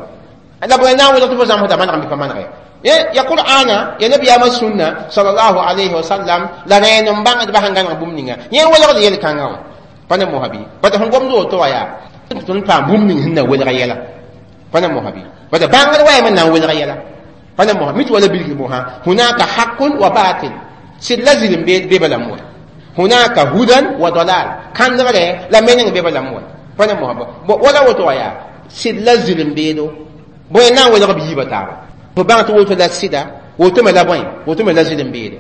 la bõe na n welg tɩ fo zãmsda maneg bɩ pa manege ya Qur'ana ya nabiyaamã sũnna sallallahu alayhi wa sallam la rẽen n bãngdbã sẽn gãneg bũmb ninga yẽ welgd yel-kãngã wã. Pa ne mosã bɩ bad sẽn gomd woto wã yaa tõnd paam bũmb ning sẽn na welg yɛla. Pa ne mosã bɩ bad bãngd wa yam n na n welg yɛla. Pa ne mosã mit wala bilg mosã hunaka haqqun wa batil sɩd la zɩlem be balam wa hunaka hudan wa dalal kãndgre la meneng be balam wa. Pa ne mosã wala woto wã yaa sɩd la zɩlem beedo bõe na n welg b yiibã taaba. Fo bãng tɩ woto la sɩda woto me la bõe woto me la zɩlem beede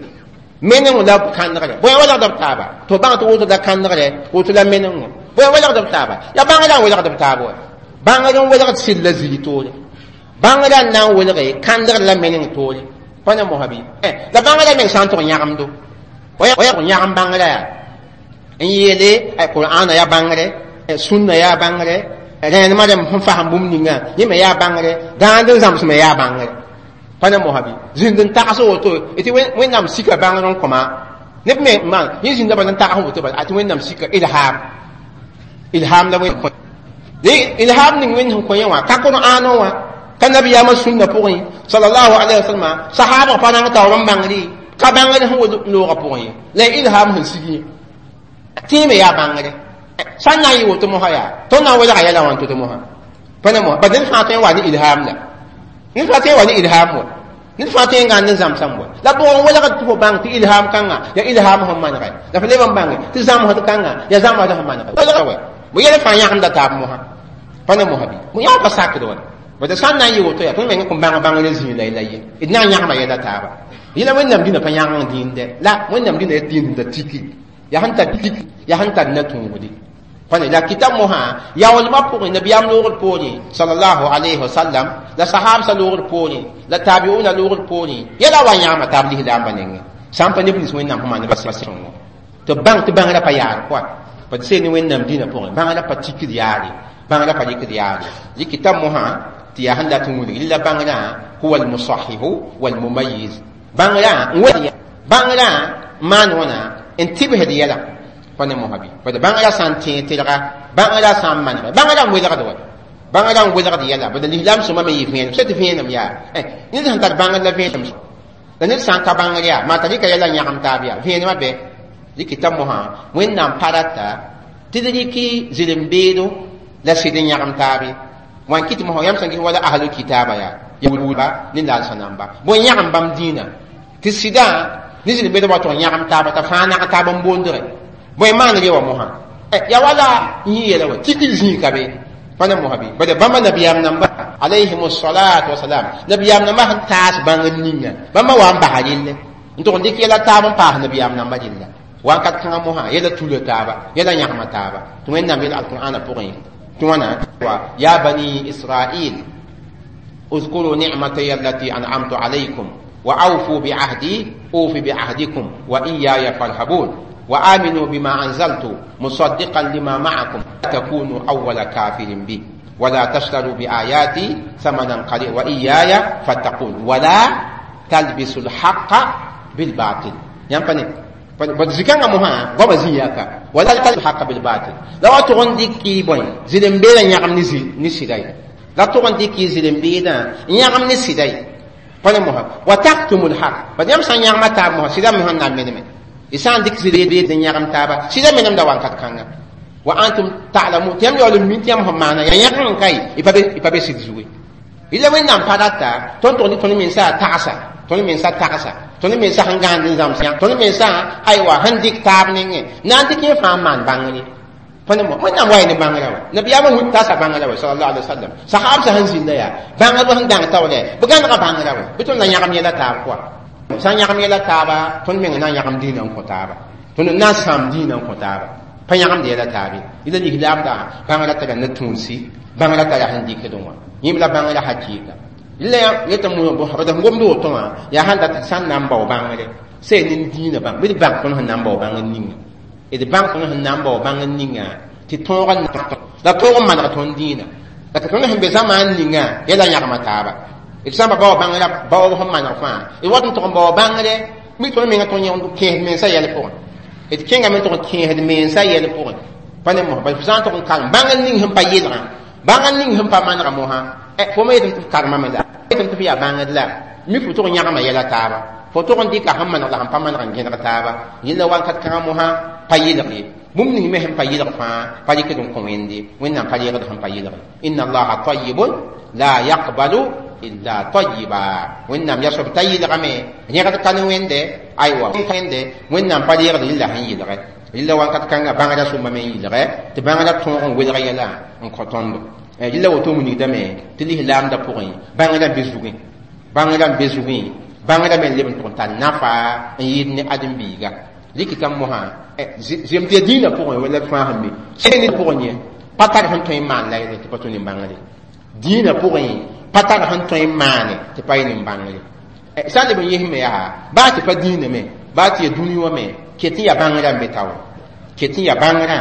meneng la kãndgre bõe welgd b taaba tɩ bãng tɩ woto la kãndgre woto la meneng bõe welgd b taaba yaa bãngrã n welgd b taaba wa bãngr n welgd sɩd la zili toore bãngrã n na n welge kãndgr la meneng toore. Pa ne mosã bɩ la bãngrã meng sã n tʋg yãgemdo wa yãgem bãngrã yaa n yeele Qur'aana yaa bãngre sũnna yaa bãngre rẽenemã rẽmb sẽn fasem bũmb ninga yẽ me yaa bãngre dãand n zãms me yaa bãngre. Pa ne mosã bɩ zĩnd n tags woto tɩ Wẽnnaam sika bãngr n kõma neb me maan yẽ zĩnda bala n tags woto bala tɩ Wẽnnaam sika ilham ilham la Wẽnd ilham ning Wẽnd sẽn kõ yẽ wã ka Qur'aanã wã ka nabiyaamã sũnna pʋgẽ sallallahu alayhi wa sallam sahaabã pa rãng taoor n bãngre ka bãngr sẽn wa loogã pʋgẽ ye la ilham sẽn sig yẽ tẽeme yaa bãngre sã n na n yɩ woto mosã yaa tõnd na n welga yɛla wã n to-to mosã. Pa ne mosã bad ned fãa tõe n wa ne ilham la ned fãa tõe n wa ne ilham wa ned fãa tõe n gãnd n zãmsame wa la bʋg n welgd tɩ fo bãng tɩ ilham kãngã yaa ilham sẽn manegɛ la fo leb n bãnge tɩ zãmsd kãngã yaa zãmsd sẽn manegɛ bõ yɛl fãa yãgemda taab mosã. Pa ne mosã bɩ bõ yã pa sakd wa bad sã n na n yɩ woto yaa tõnd meng kõn bãng bãngr zĩig la la ye d na n yãgema yɛla taaba. Yẽla Wẽnnaam dĩnã pa yãgeng dĩinde la Wẽnnaam dĩnã yaa dĩnd sẽn tar tiki yaa sẽn tar tiki yaa sẽn tar na-tũudde. Pa ne la kitab mosã yaoolmã pʋgẽ nabiyaam loogr poorẽ sallallahu alayhi wa sallam la sahaabsã loogr poorẽ la tabiuna loogr poorẽ yɛla wa yãgema taab lislaambã nengẽ sã n pa neb nins Wẽnnaam sẽn maan ba sõngo tɩ bãng tɩ bãngrã pa yaar kɔa pa tɩ seen Wẽnnaam dĩnã pʋgẽ bãngrã pa tikd yaare bãngrã pa rɩkd yaare rɩ kitab mosã tɩ yaa sẽn dat n wilg la bãngrã huwa almusahihu walmumayiz bãngrã n wel bãngrã n maan wãna n tɩbsd yɛla. Pa ne mosã bɩ bad bãngrã sã n tẽeg tɩlga bãngrã sã n manegɛ bãngrã n welgd wa bãngrã n welgd yɛla bad lislaam sõma me yɩ vẽenem sã tɩ vẽenem yaa ned sẽn tar bãngr la vẽenem la ned sã n ka bãngr yaa maa t'a rɩka yɛla n yãgem taab yaa vẽenemã bɛ rɩkɩta mosã Wẽnnaam pa rata tɩ d rɩk zɩlem-beedo la sɩd n yãgem taabe wã n kɩt mosã yãmb sẽn ges wala ahlu kitaaba yaa yahuudba ne lalsã namba bõe yãgem bãmb dĩinã tɩ sɩdã ne zɩlem-beedã wa tʋg yãgem taaba t'a fãa nag taab n boondgẽ bõe maan re wa mosã ya wala n yɩ yɛla wa tikr zĩig ka be pa ne mosã bɩ bad bãmba nabiyaam namba alayhim salatu wasalam nabiyaam namba sẽn taas bãngr ninga bãmba wa n basa relle n tʋg n dɩk yɛla taab n paas nabiyaam namba rella wakat kãngã mosã yɛla tula taaba yɛla yãgema taaba tɩ Wẽnnaam yel alqur'ana pʋgẽ tɩ wãna wa ya bani israil اذكروا نعمتي التي أنعمت عليكم وأوفوا بعهدي أوف بعهدكم وإياي فارهبون وآمنوا بما أنزلت مصدقا لما معكم تكونوا أول كافر به ولا تشتروا بآياتي ثمنا قليلا وإياي فاتقون ولا تلبسوا الحق بالباطل. ينفني بزكان مها غوبا زياكا ولا تلبسوا الحق بالباطل لو تغندي كي بوين زيدن بيلا يعم نسي نسيداي لا تغندي كي زيدن بيلا يعم نسيداي فانا مها وتكتم الحق بديم سان يعم تاب مها سيدا مها نامن إسان ديك زيدن بيلا يعم تابا سيدا منم دوان كاتكانغا وأنتم تعلمون تيم يولم من تيم هم معنا يعني كاي يبقى سيدزوي إلا وين نام باراتا تون تون تون من سا تاسا تون من سا تاسا Tõnd mensa sẽn gãand n zãms yã, tõnd mensa aywa sẽn dɩk taab nengẽ na n dɩk yẽ fãa n maan bãngre. Wẽnnaam wa ne bãngrã wa nabiyaamã wĩ tasa bãngrã wa sallallahu alaihi wasallam. Sahabsã sẽn zĩnda yaa bãngdbã sẽn dãng taoolɛ bɩ gãnega bãngrã wa bɩ tõnd na yãgem yɛla taab pʋga sã n yãgem yɛla taaba tõnd meng na n yãgem dĩinã n kõ taaba tõnd na n sãam dĩinã n kõ taaba pa yãgemd yɛla taabe yẽla lislaamda bãngrã tara ne tũudsi bãngrã tara sẽn dɩkdẽ wã yẽm la bãngrã hakɩɩka la yetɩ d sẽn gomd woto wã yaa sãn dat sã n na n bao bãngre sẽn nin dĩinã bãng bɩ d bãng tõnd sẽn na n bao bãngr ninga d bãng tõnd sẽn na n bao bãngr ninga tɩ tõog la tõog n maneg tõnd dĩinã la tɩ tõnd sẽn be zamaan ninga yɛla yãgma taaba d sã n pa bao bãngrã baoob sẽn maneg fãa d wat n tʋg n bao bãngre mi tõnd menga tõnd kẽesd mensã yɛl pʋgẽ d kẽngame tʋg n kẽesd mensã yɛl pʋgẽ pa ne mos bala fo sã n tʋg n karem bãngr ning sẽn pa yelgã bãngr ning sẽn pa manega mosã fo me yetɩ tɩ f karemame la yetɩ tɩ f yaa bãngd la mi fo tʋg n yãgma yɛla taaba fo tʋg n dɩka sẽn maneg la sẽn pa maneg n gẽneg taaba yẽla wakat kãngã mosã pa yelg ye bũmb ning me sẽn pa yelg fãa pa rɩkd n kõ wẽnde wẽnnaam pa reegd sẽn pa yelg inna allaha tayibun la yaqbalu illa tayiba wẽnnaam yaa soab t'a yelgame rẽgd ka ne wẽnde aywa wẽnde wẽnnaam pa reegd rɩla sẽn yelge rɩla wakat kãngã bãngrã sʋmbame n yelge tɩ bãngrã tõog n welg yɛla n kõ tõndo rɩla woto wilgdame tɩ lislaamdã pʋgẽ bãngrã be zugẽ bãngrã n be zugẽ bãngrã me n leb n tʋg n tar nafa n yɩɩd ne ãdem-biiga rɩk tɩ mosã zem tɩ ya dĩinã pʋgẽ wala d fãa sẽn be sẽn pʋgẽ yẽ pa tar sẽn tõe n maan la yelle tɩ pa tũ ne bãngre dĩinã pʋgẽ pa tar sẽn tõe n maane tɩ pa yẽ ne bãngre sã n leb n yesme yaa baa tɩ pa dĩinã me baa tɩ ya dũni wã me ket n yaa bãngrã n be taoore ket n yaa bãngrã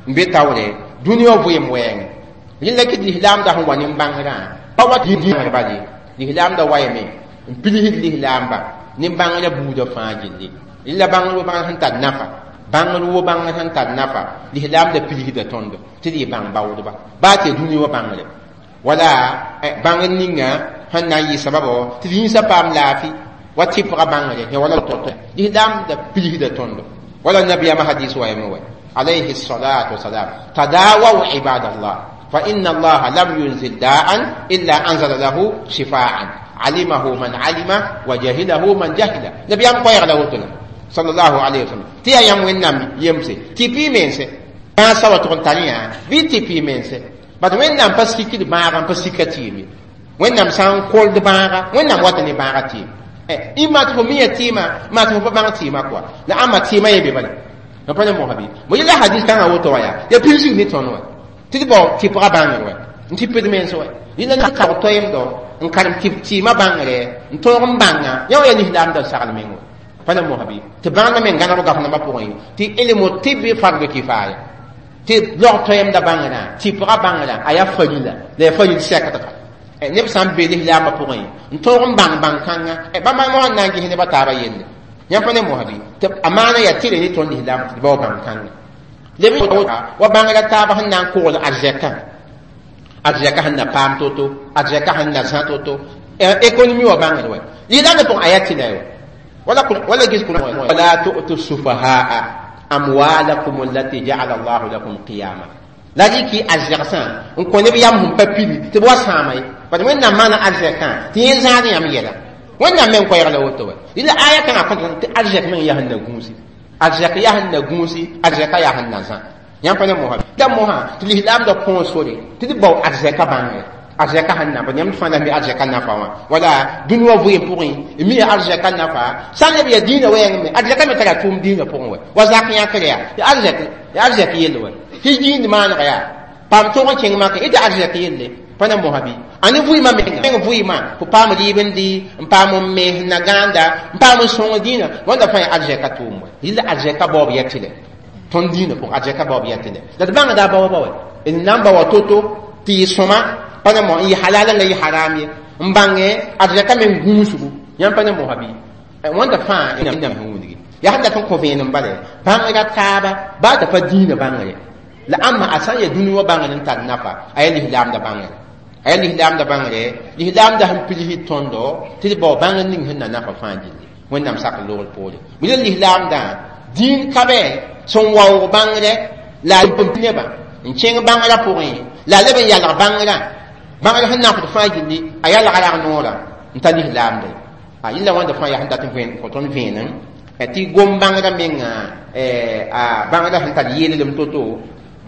n be taoore dũni wã vɩɩm wɛɛngẽ rẽnda kɩ lislaamda sẽn wa ne bãngrã pa wa dĩinã bale lislaamda wayame n pilsd lislaamba ne bãngrã buudã fãa gilli rẽla bãngr wo bãngr sẽn tar nafa bãngr wo bãngr sẽn tar nafa lislaamda pilsda tõndo tɩ d yɩ bãng baoodba baa tɩ ya dũni wã bãngre wala bãngr ninga sẽn na n yɩ sababo tɩ d yĩnsã paam laafɩ wa tɩpga bãngre wala to lislaamda pilsda tõndo wala nabiyaamã hadis wayame wa alayhi salatu wasalam tadawaw ibadallah فإن الله لم ينزل داء إلا أنزل له شفاء علمه من علم وجهله من جهل نبي أم قوي له صلى الله عليه وسلم تي أيام وينام يمسي تي بي منسي ما سوى تقول بي تي بي منسي بعد وينام بس كي كده باغا بس كتيمي وينام سان كول باغا وينام وطني باغا تيم إما تفهمية تيما ما تفهم باغا تيما كوا لا أما تيما يبي بلا نبغى مو مو يلا حديث كان أوتو يا يا بيجي نيتونو tɩ d bao tɩpga bãngr wɛ n tɩ pd mens wɛ yẽla na kao toeemdo n karem tɩɩmã bãngre n tõog n bãnga yã wã yaa lislaamda sagl meng wɛ pa na mosã bɩ tɩ bãngda me gãneg gafnambã pʋgẽ tɩ ilmu tɩbɩ fardu kifaya tɩ log toeemda bãngrã tɩpga bãngrã a yaa farila la yaa faril sɛkdga neb sã n be lislaambã pʋgẽ n tõog n bãng bãn-kãnga bãmba mosã n na n ges nebã taabã yelle yãmb pa ne mosã bɩ tɩ a maana yaa tɩ re ne tõnd lislaam tɩ d bao bãn-kãnga leb wa bãngrã taab sẽn na n kogl arzɛkã arzɛka sẽn na paam to-to arzɛka sẽn na zã to-to économie wa bãngr wɛ lislaamdã pʋgẽ a yaa tɩla wa wala gis wala tu'tu sufahaa amwalakum allati ja'ala Allahu lakum qiyama la rɩkɩ arzɛgsã n kõ neb yam sẽn pa pili tɩ b wa sãama ye bad wẽnnaam maana arzɛkã tɩ yẽ zãad yãmb yɛla wẽnnaam me n koɛɛg la woto wɛ rɩla aya kãngã kõt tɩ arzɛk meng yaa sẽn na gũusi arzɛk yaa sẽn na gũusi arzɛka yaa sẽn na zã yãmb pa ne mosã la mosã tɩ lislaamda kõo sore tɩ d bao arzɛka bãngre arzɛka sẽn na yãmb fãa la mi arzɛka nafa wã wala dũni wã vɩɩm pʋgẽ mi ya arzɛka nafa sã n leb yaa dĩinã wɛɛng me arzɛka me tara tʋʋm dĩinã pʋgẽ wɛ wa zak yãkr yaa ya arzɛk yell wɛ tɩ dĩnd maanega yaa paam tõog n kẽng makẽ tɩ arzɛk yelle pa na mosã bɩ a ne vɩɩmã meng vɩɩmã fo paam rɩɩb n dɩ n paam n mes n na gãanda n paam n sõng dĩinã wãnda fãa yaa arzɛka tʋʋm wɛ rɩla arzɛka baoob ya tɩlɛ tõnd dĩinã pʋgẽ arzɛka baoob ya tɩlɛ la d bãngda a baoobã wɛ d na n bao to-to tɩ yɩ sõma pa na mo n yɩ halal la yɩ haram ye n bãngẽ arzɛka me n gũusgu yãmb pa ne mosã bɩ wãnda fãa sẽn wilgi yaa sẽn dat n kõ vẽenem bala bãngrã taaba baa t'a pa dĩinã bãngre la ãmba a sã n yaa dũni wã bãngr n tar nafa a yaa lislaamda bãngre a yaa lislaamda bãngre lislaamda sẽn pilsd tõndo tɩ d bao bãngr ning sẽn na nafa fãa gilli wẽnnaam sak loogr poore bɩ la lislaamdã dĩin ka bɛ sẽn waoog bãngre la a nebã n kẽng bãngrã pʋgẽ la a leb n yalg bãngrã bãngr sẽn nafd fãa gilli a yalga rag noorã n ta lislaamda A yilla wãnda fãa yaa sẽn dat n vẽen kõ tõnd vẽenem tɩ gom bãngrã menga a bãngrã sẽn tar yeellem to-to,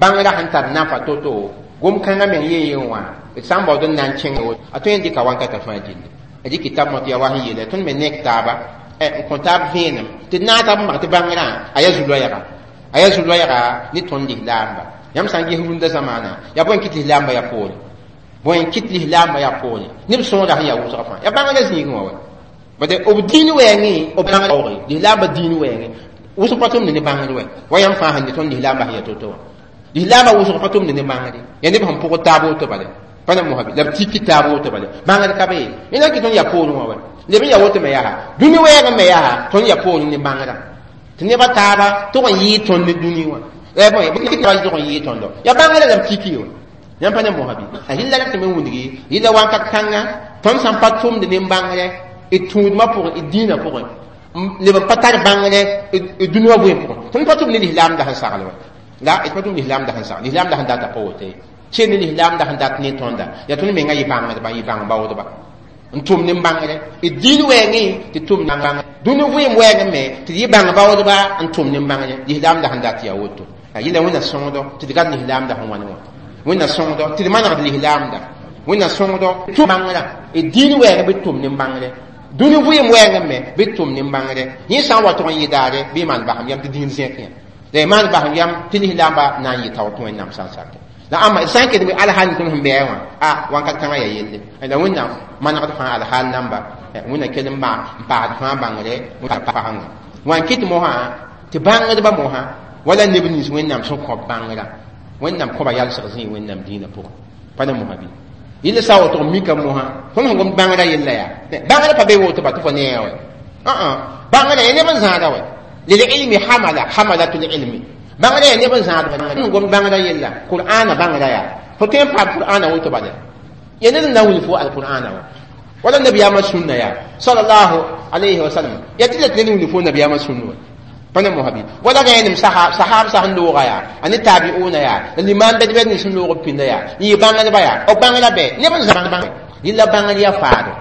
bãngrã sẽn tar nafa to-to, gom kãngã meng yeen yen wã d sã n baood n na n kẽng a tõe n dɩka wankatã fãa gilli. Dɩk tab mot yaa wa sẽn yeela tõnd me nek taaba n kõ taab vẽenem tɩ d naag tab n bãng tɩ bãngrã a yaa zu-loɛɛga, a yaa zu-loɛɛga ne tõnd lislaamba. Yãmb sã n ges rũndã zamaana yaa bõe n kɩt lislaambã yaa poore, bõe n kɩt lislaambã yaa poore, neb sõoda sẽn yaa wʋsgã fãa yaa bãngrã zĩigẽ wã wa. Bade b dĩin wɛɛngẽ b bãng lislaambã dĩin wɛɛngẽ wʋsg pa tʋmd ne bãngr wɛ wa yãmb fãa sẽn ne tõnd lislaambã sẽn yaa to-to wã. Lislaambã wʋsg pa tʋmd ne bãngre, yaa neb sẽn pʋgd taab woto bale pa na mosabi la b tiki taab woto bale bãngr ka be yẽna kɩ tõnd yaa poorẽ wã wa leb n yaa woto me yaa dũni wɛɛgẽ me yaa tõnd yaa poorẽ ne bãngrã tɩ nebã taaba tʋg n yɩɩ tõnd ne dũni wã tʋg n yɩɩ tõndo yaa bãngrã la b tiki wã. Yãmb pa ne mosabi a rɩlla ra tɩ me wĩndgi yɩla wakat kãnga tõnd sãn pa tʋmd ne bãngrɛ d tũudmã pʋgẽ d dĩinã pʋgẽ leb n pa tar bãngrɛ d dũni wã vɩɩm pʋgẽ tõnd pa tʋm ne lislaamda sẽn sagl wa la d pa tʋm lislaamda sẽn sagl lislaamda sẽn data pa woto ye ken ne lislaamda sẽn dat ne tõnda yaa tõnd menga yɩ bãngdba yɩ bãng baoodba n tʋm ne bãngre d dĩin wɛɛngẽ tɩ tʋm bãngre dũni vɩɩm wɛɛngẽ me tɩ d yɩ bãng baoodba n tʋm ne bãngre lislaamda sẽn dat yaa woto. A yɩla wẽnna sõngdo tɩ d gad lislaamda sẽn wãne wã, wẽnna sõngdo tɩ d manegd lislaamda, wẽnna sõngdo tʋm bãngrã d dĩin wɛɛngẽ bɩ tʋm ne bãngre dũni vɩɩm wɛɛngẽ me bɩ tʋm ne bãngre yẽ sã n wa tʋg n yɩ daare bɩ maan basem yam tɩ dĩin zẽk yã la y maan basem yam tɩ lislaamba na n yɩ tao tɩ wẽnnaam sã n sakɛ la ãmba d sã n kelem alhal tõnd sẽn bɩa wã a wãnkat kãngã yaa yelle la wẽnnaam manegd fãa alhal namba wẽnna kell n paasd fãa bãngre pasengã wã n kɩt mosã tɩ bãngdbã mosã wala neb nins wẽnnaam sẽn kõb bãngrã wẽnnaam kõba yalsg zĩig wẽnnaam dĩinã pʋgẽ pa na mosã bɩ yɩl sã woto n mika mosã tõnd sẽn gom bãngrã yella yaa bãngrã pa be woto ba tɩ fo neã wɛ bãngrã yaa neb n zãada wɛ lililmi hamala hamalatul ilmi bãngrã yaa neb n zãad n gom bãngrã yella qur'ana bãngrã yaa fo tõe n paam qur'ana woto bala ya ned n na n wilg fo alqur'ana wa wala nabiyaamã sũnna yaa sallallahu alayhi wa sallam ya tɩ la tɩ ned n wilg fo nabiyaamã sũnna wa pa na mosabi wala rẽenem sahab sã sẽn looga yaa a ne tabiuna yaa la limaan bɛd-bɛd nins sẽn loog b pĩnda yaa n yɩ bãngdba yaa b bãngrã bɛ neb n zãg yɩla bãngr yaa faado,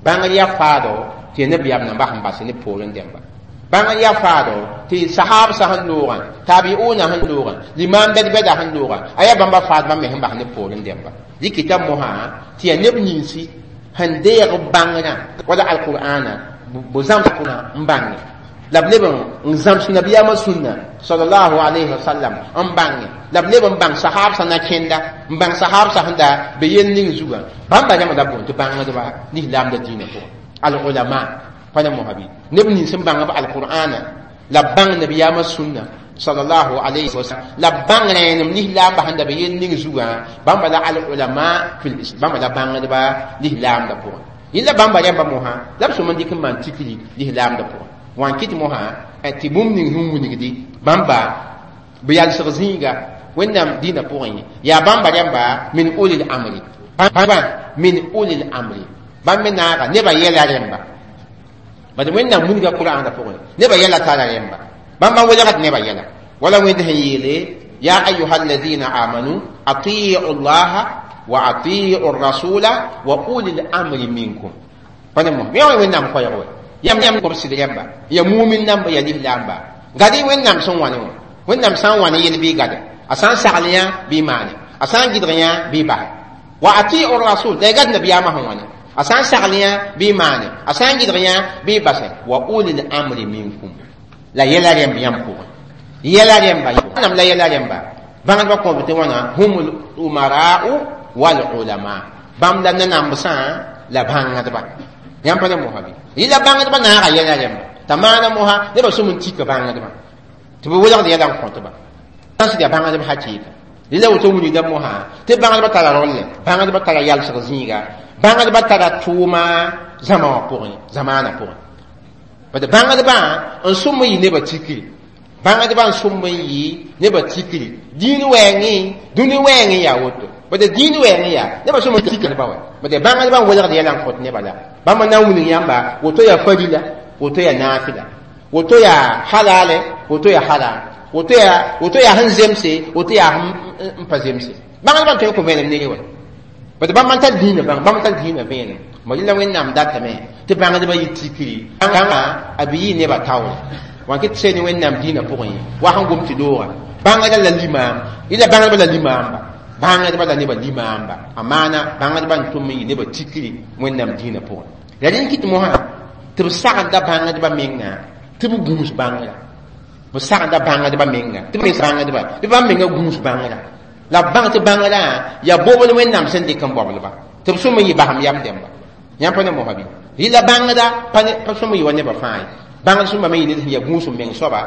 bãngr yaa faado tɩ ya nabiyaam nambã sẽn bas ne poorẽ dẽmba bãngr yaa faado tɩ sahab sã sẽn loogã tabiuna sẽn loogã limaan bɛd-bɛda sẽn loogã a yaa bãmba faadmã me sẽn bas ne poorẽ dẽmba dɩkɩta mosã tɩ yaa neb ninsi sẽn deeg bãngrã wala alqur'ana b zãms n bãnge la b leb n zãms nabiyaamã sũnna sallallahu alayhi wa sallam n bãnge la b leb n bãng sahab sã na kẽnda n bãng sahab sã sẽn da be yel ning zugã bãmba rãmba la boond tɩ bãngdba lislaamda dĩinã pʋgẽ al ulama pa na mosabi neb nins n bãng b alqur'ana la b bãng nabiyaamã sũnna sallallahu alayhi wa sallam la b bãng rẽenem lislaamba sẽn da be yel ning zugã bãmba la al ulama fi bãmba la bãngdba lislaamda pʋgẽ yẽla bãmba rãmba mosã la b sõm n dɩk n maan tikri lislaamda pʋgẽ wã n kɩt mosã tɩ bũmb ning sẽn wilgdi bãmba b yalsg zĩiga wẽnnaam dĩinã pʋgẽ ye yaa bãmba rãmba min ulil amri bãmba min ulil amri bãmb me naaga nebã yɛla rẽmba bad wẽnnaam wilga qur'aanã pʋgẽ nebã yɛla tara rẽmba bãmba welgd nebã yɛla wala wẽnd sẽn yeele ya ayuha alladina amanu atiu llaha wa atiu rasula wa ulil amri minkum pa ne mosã yã wẽnnaam koɛɛg wɛ yam yam kobsd rẽmba ya mumin namba ya lislaamba gad-y wẽnnaam sẽn wãne wã wẽnnaam sã n wãne yel bɩ gade a sã n sagl yã bɩ maane a sã n gɩdg yã bɩ basɛ wa atiu rasul la y gad nabiyaamã sẽn wãne a sã n sagl yã bɩ maane a sã n gɩdg yã bɩ basɛ wa ulil amri minkum la yɛla rẽmb yãmb pʋgẽ yɛla rẽmba nam la yɛla rẽmba bãngdbã kõb tɩ wãna humul umara'u wal ulama bãmb la nanambsã la bãngdba yãmb pa ne mosa bɩ yɩla bãngdbã naaga yɛla rẽmba t'a maana mosa nebã sʋm n tika bãngdbã tɩ bɩ welgd yɛla n kõtba sã yaa bãngdb hakɩɩka yɩla woto wilgda mosã tɩ bãngdbã tara rolle bãngdbã tara yalsg zĩiga bãngdbã tara tʋʋma zãma wã pʋgẽ zamaanã pʋgẽ bad bãngdbã n sʋm n yɩ nebã tikri bãngdbã n sʋm n yɩ nebã tikri dĩin wɛɛngẽ dũni wɛɛngẽ yaa woto bad dĩin wɛɛngẽ yaa nebã sʋm n tikdba wɛ bad bãngdbã n welgd yɛla n kõt nebã la bãmb na n wilg yãmba woto yaa farila woto yaa naafila woto yaa halale woto yaa haram woto yaa sẽn zemse woto yaa sẽn pa zemse bãngdbã n tõe n kõ vẽenem nere wɛ bad bãmb n tar dĩinã bãng bãmb tar dĩinã vẽenem Mo yɩla Wẽnnaam datame tɩ bãngdbã yɩ tikri bãnga a bɩ yɩ nebã taoor wã kɩ tɩ sɛ ne Wẽnnaam dĩinã pʋgẽ ye wa sẽn gom tɩ looga bãngda la limaam yɩla bãngdbã la limaamba bãngdbã la nebã limaamba a maana bãngdbã n tʋm n yɩ nebã tikri Wẽnnaam dĩinã pʋgẽ la rẽnd kɩt mosã tɩ b sagenda bãngdbã menga tɩ b gũus bãngrã b sagenda bãngdbã menga tɩ b bãngdbã tɩ bãmb menga gũus bãngrã la b bãng tɩ bãngrã yaa bobl Wẽnnaam sẽn dɩk n baoblba tɩ b sõm n yɩ basem yam dẽmba yãmb pa ne mosã bɩ rɩla bãngda pa sõm n yɩ wa nebã fãa ye bãngd sõmba me yɩ ned sẽn yaa gũus n meng soaba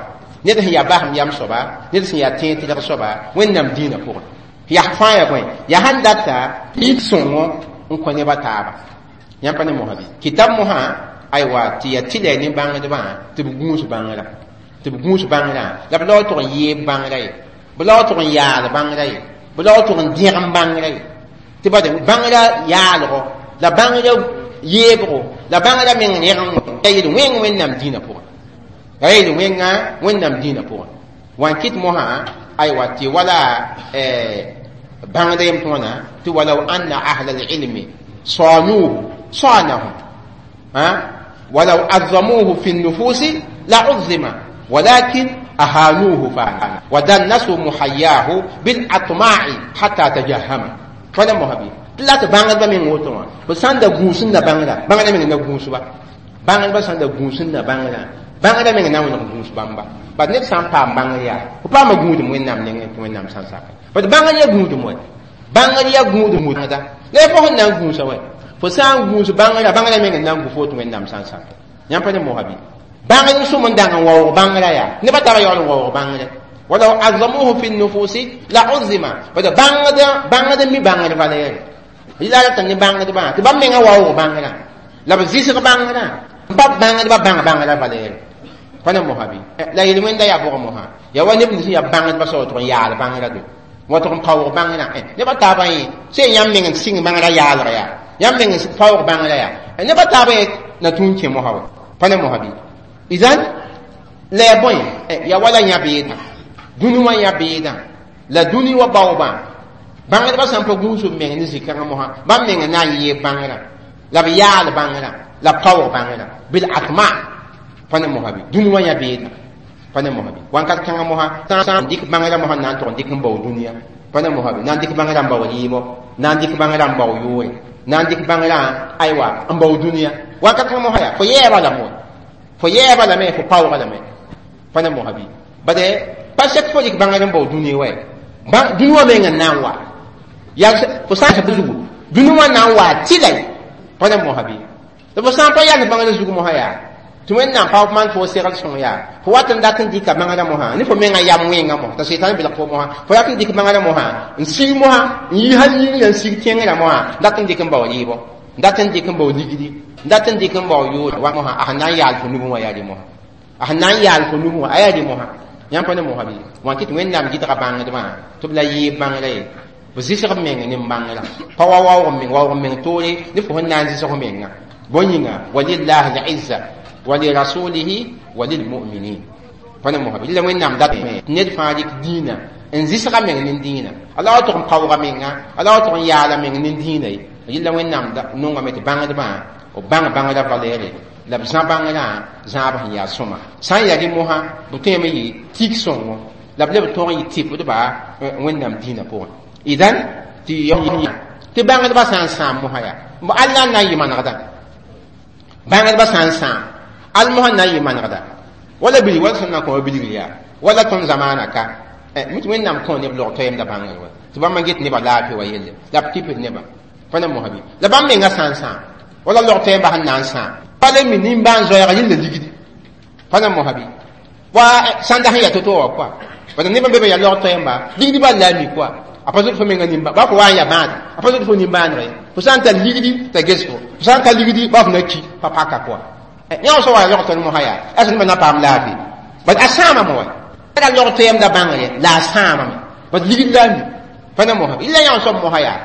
ned sẽn yaa basem yam soaba ned sẽn yaa tẽeg tɩlg soaba Wẽnnaam dĩinã pʋgẽ yaa fãa yaa bõe yaa sãn data tɩ sõngo n kõ nebã taaba yãmb pa ne mosã bɩ kitab mosã aywa tɩ yaa tɩlɛ ne bãngdbã tɩ b gũus bãngrã tɩ b gũus bãngrã la b laoog tʋg n yeeb bãngrã ye b laoog tʋg n yaal bãngrã ye b laoog tʋg n dẽgem bãngrã ye tɩ bade bãngrã yaalgo la bãngrã yeebgo la bãngrã meng rẽgem ya yel wẽng Wẽnnaam dĩinã pʋgẽ ya yel wẽnga Wẽnnaam dĩinã pʋgẽ wã n kɩt mosã aywa tɩ wala bãngda yem tɩ wãna tɩ walaw anna ahla alilmi sanuhu sanahum ولو عظموه في النفوس لعظم ولكن أهانوه فعلا ودنسوا محياه بالأطماع حتى تجهم فلا مهبي لا تبانغ من وتوا بسان دا غوسن دا بانغ بانغ من دا غوس با بانغ با سان دا غوسن دا بانغ بانغ من نا ون غوس بامبا با نيت سان pa بانغ يا pa ma guud mo nam ne mo nam san sa ba bانغ ya guud mo bانغ ya guud mo da le fo na guusa wa fo sã n gũus bãngrã bãngrã meng n na n gu fo tɩ Wẽnnaam sã n sak yãmb pa ne mosa bɩ bãngr sõm n dãng n waoog bãngrã yaa nebã tara yaool n waoog bãngrã walaw azamuhu fi nufusi la uzima bad bãngd mi bãngr valɛɛre yɩla rata ne bãngdbã tɩ bãmb menga waoog bãngrã la b zɩsg bãngrã n pa bãngdbã bãng bãngrã valɛɛre pa ne mosa bɩ la yel-wẽnda yaa bʋg mosã yaa wa neb nins yaa bãngdbã soab tʋg n yaal bãngrã do wa tʋg n paoog bãngrã nebã taabã yẽ sẽn yãmb meng n sɩng bãngrã yaalg yaa yãmb meng paoog bãngrã yaa nebã taabã yẽ na tũun kẽ mosã wa pa ne mosã bɩ idan la yaa bõe yaa wala yã beedã dũni wã yã beedã la dũni wa baoobã bãngdbã sã n pa gũus b meng ne zĩ-kãngã mosã bãmb meng n na n yeeb bãngrã la b yaal bãngrã la b paoog bãngrã bil atma pa ne mosã bɩ dũni wã yã beedã pa ne mosã bɩ wãnkat kãngã mosã sã n dɩk bãngrã mosã n na n tʋg n dɩk n bao dũniyã pa ne mosã bɩ na n dɩk bãngrã n bao rɩɩbɔ na n dɩk bãngrã n bao yʋʋre na n dɩk bãngrã aywa n bao dũniyã wãnkat kãngã mosã yaa fo yɛɛba lame fo yɛɛba lame fo paooga lame pa ne mosã bɩ bade pa sɛk fo dɩk bãngr n bao dũni wa dũni wã meng n na n wa yaa fo sã n zugu dũni wã na n wa tɩlay pa ne mosã bɩ tɩ fo sã n pa yals bãngr zug mosã yaa tɩ Wẽnnaam pa maan fo segl sõng yaa fo wat n dat n dɩka bãngrã mosã ne fo menga yam wẽnga mosã t'a sɩtan belg fo mosã fo rat n dɩk bãngrã mosã n sig mosã n yi hal yĩngã n sig tẽngrã mosã dat n dɩk n bao rɩɩbɔ dat n dɩk n bao ligdi dat n dɩk n bao yʋʋr wa mosã a sẽn na n yaal fo nubẽ wã yaa rɩ mosã a sẽn na n yaal fo nubẽ wã a yaa rɩ mosã yãmb pa ne mosã bɩ wã kɩ tɩ Wẽnnaam gɩdga bãngdbã tɩ b la yeeb bãngrã ye b zɩsg b meng ne bãngrã pa wa waoog meng waoog meng toore ne fo sẽn na n zɩsg menga bõe yĩnga walillahi l-izza walirasulihi walilmuminin pa ne mosã bɩ la Wẽnnaam dat ned fãa dɩk dĩinã n zɩsga meng ne dĩinã ala wa tʋg n paooga menga ala wa tʋg n yaala meng ne dĩinã ye yɩla Wẽnnaam nongame tɩ bãngdbã b bãng bãngrã valɛɛre la b zã bãngrã zãab sẽn yaa sõma sã n yaa rẽ mosã b tõeme yɩ tik sõngo la b leb tõog n yɩ tɩpdba Wẽnnaam dĩinã pʋgẽ idan tɩ bãngdbã sã n sãam mosã yaa alla n na n yɩ manegda bãngdbã sã n sãam al mosã na n yɩ manegda wala bilg wala sẽn na n kõ bilgr yaa wala tõnd zamaana ka mi tɩ Wẽnnaam kõ neb log toɛɛmda bãngr wa tɩ bãmb n get nebã laafɩ wa yelle la b tɩpd nebã pa ne mosã bɩ la bãmb menga sã n sãam wala log toɛɛmbã sẽn na n sãam pa le mi nimbãan-zoɛɛga yella ligdi pa ne mosã bɩ wa sãnda sẽn yaa to-to wã kɔa bala nebã be be yaa log toɛɛmba ligdi bal la a mi kɔa a pa zoet fo menga nimba ba fo wa n yaa bãada a pa zoet fo nimbãaneg ye fo sã n tar ligdi t'a ges fo fo sã n ka ligdi ba fo na ki pa paka kɔa yã sã wa log tõnd mosã yaa a sẽn na paam laafɩ bad a sãamame wa ra log toɛɛmda bãngre la a sãamame bad ligd la a mi pa ne mosã bɩ la yã soab mosã yaa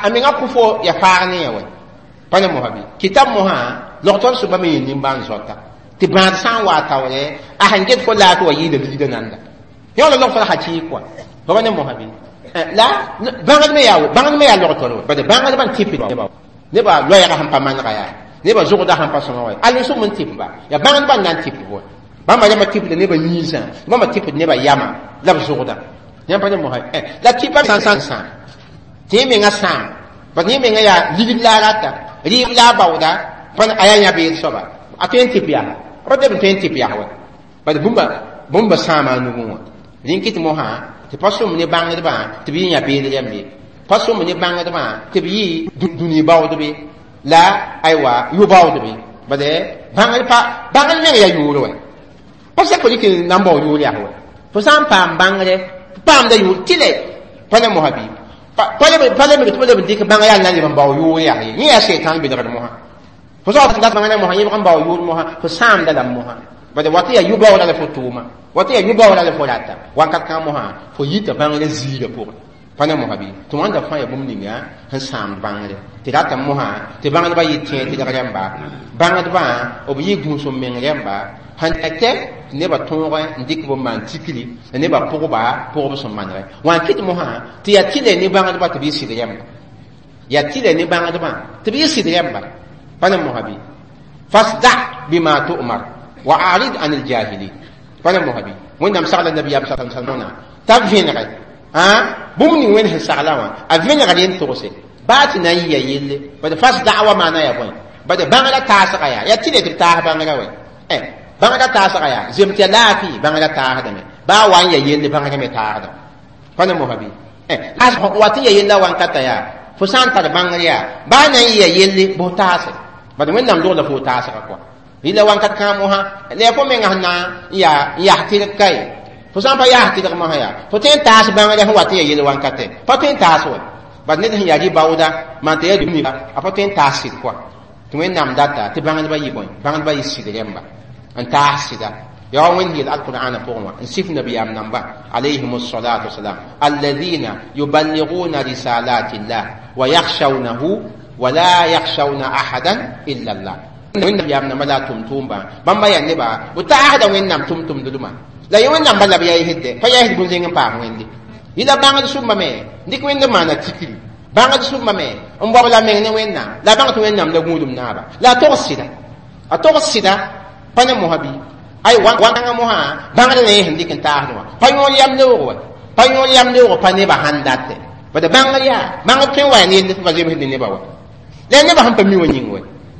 a menga kʋ fo ya faag ne ya wa pa ne mosã bɩ kitab mosã log tõnd soaba me yɩ nimbãan-zoata tɩ bãad sã n wa taoore a sẽn get fo laafɩ wa yɩɩda ligda nanda yã la log tõnd hakɩɩk kɔa pa ne mosã bɩ la bãngd me yaa bãngd me yaa log tõr bad bãngdbã n tɩp Nebã loɛɛgã sẽn pa manega yaa nebã zʋgda sẽn pa sõma wa al sʋm n tɩp ba yaa bãngdbã n na n tɩp bo bãmba yãmba tɩpda nebã yĩnsã bãmba tɩpd nebã yamã la b zʋgda yãmb pa ne mosã la tɩpa sã n sãam tɩ yẽ menga sãam bad yẽ menga yaa ligd la a rata rɩɩb la a baooda pa a yaa yã-beed soaba a tõe n tɩp yaa pa tɩ b tõe n tɩp yaa wa bad bũmba sãama a nugẽ wã rẽn kɩt mosã tɩ pa sõm ne bãngdbã tɩ b yɩ yã-beed rãmb ye pa sõm ne bãngdbã tɩ b yɩ dũni baoodbe la aywa yʋ-baoodbe bad bãngd pa bãngd meng yaa yʋʋr wɛ pa sɛk fo dɩk n na n bao yʋʋr yaa wɛ fo sã n paam bãngre paamda yʋʋr tɩlɛ pa ne mosã bɩ pa leb tɩ pa leb n dɩk bãng yaa n na n leb n bao yʋʋr yaa ye yẽ yaa sɛtãn belgd mosã fo sã dat bãngda mosã yẽbg n bao yʋʋr mosã fo sãamda lame mosã bad wat yaa yʋ-baooda la fo tʋʋma wat yaa yʋ-baooda la fo rata wakat kãng mosã fo yita bãngrã ziirã pʋgẽ pa ne mosã bɩ tɩ wãnda fãa yaa bũmb ninga sẽn sãamd bãngre tɩ rata mosã tɩ bãngdbã yɩ tẽeg tɩlg rãmba bãngdbã b yɩ gũus n meng rãmba sẽn tɛ tɩ nebã tõog n dɩk b n maan tikri la nebã pʋgba pʋgb sẽn manegɛ wã n kɩt mosã tɩ yaa tɩlɛ ne bãngdbã tɩ b yɩ sɩd rãmba yaa tɩlɛ ne bãngdbã tɩ b yɩ sɩd rãmba pa ne mosã bɩ fasda bima tu'mar wa a'rid an aljahilin pa ne mosã bɩ wẽnnaam sagla nabiyaam sa t'a vẽnegɛ bũmb ning wẽnd sẽn sagla wã a vẽnegd n togse baa tɩ na n yɩa yelle bad fasda wa maana yaa bõe bad bãngrã taasga yaa yaa tɩlɛ tɩ b taas bãngrã wɛ bãngrã taasga yaa zem tɩ yaa laafɩ bãngrã taasdame baa wa n yaa yelle bãngrã me taasda pa ne mosã bɩ wa tɩ ya yella wankata yaa fo sã n tar bãngr yaa baa na n yɩa yelle bʋ taase bad wẽnnaam dogla fo taasga kɔa rɩla wankat kãa mosã la yaa fo menga sẽn na n yaa n yas tɩrg ka ye fo sã n pa yaas tɩrg mosã yaa fo tõe n taas bãngrã sẽn wat n yaa yel wankatɛ pa tõe n taas wɛ bad ned sẽn yaa rɩ-baooda maan tɩ yaa a pa tõe n taas sɩd kɔa tɩ wẽnnaam data tɩ bãngdbã yɩ bõe bãngdbã yɩ sɩd rãmba n taas sɩda yaa wa wẽnd yeel alqur'ana pʋgẽ wã n sif nabiyaam namba alayhim salatu wasalam alladhina yuballighuna risalati llah wa yakhshawnahu wa la yakhshawna ahadan illa allah wẽnnaam namba la a tʋm-tʋʋmbã bãmba yaa nebã b taasda wẽnnaam tʋm-tʋmdma la yẽ wẽnnaam bala b yaa pa yaa bũn-zẽng n paas wẽnde yɩla bãngd sʋmba me dɩk wẽnd n maana tikri bãngd sʋmba me n bao la meng ne wẽnnaam la a bãng tɩ wẽnnaam la gũudum naaba la a togs sɩda a togs sɩda pa ne mosã bɩ ay wãngã mosã bãngd na yẽ sẽn dɩk n taasd wã pa yõor yam leoog wa pa yõor yam leoog pa nebã sãn datɛ bad bãngr yaa bãngd tõe n wa yaa ne yell tɩ pa zemsd ne nebã wa la nebã sẽn pa mi wã yĩng wɛ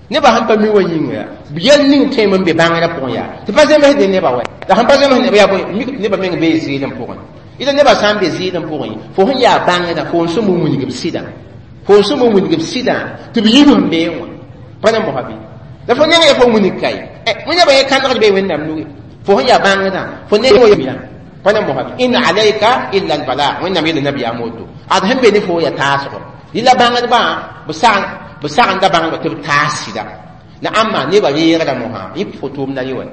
nebã sẽn pa mi wã yĩnga yaa yɛl ning tõem n be bãngrã pʋgẽ yaa tɩ pa zemsd ne nebã wɛ la sẽn pa zemsd neba yaa bõe nebã meng bee zɩɩlem pʋgẽ ila nebã sã n be zɩɩlem pʋgẽ fo sẽn yaa bãngdã fo n sõm n wilg b sɩdã fo n sõm n wilg b sɩdã tɩ b yib sẽn beẽ wã pa ne mosã bɩ la fo neng ya fo wilg ka ye nebã yẽ kãndgd bee wẽnnaam nuge fo sẽn yaa bãngdã fo neng wa pa ne mosã bɩ in alayka illa albalagh wẽnnaam yeela nabiyaam woto ad sẽn be ne fo ya taasgo rɩla bãngdbã b sagenda bãngdba tɩ b taas sɩda la ãmba nebã reegda mosã yẽ fo tʋʋmda rɩ wa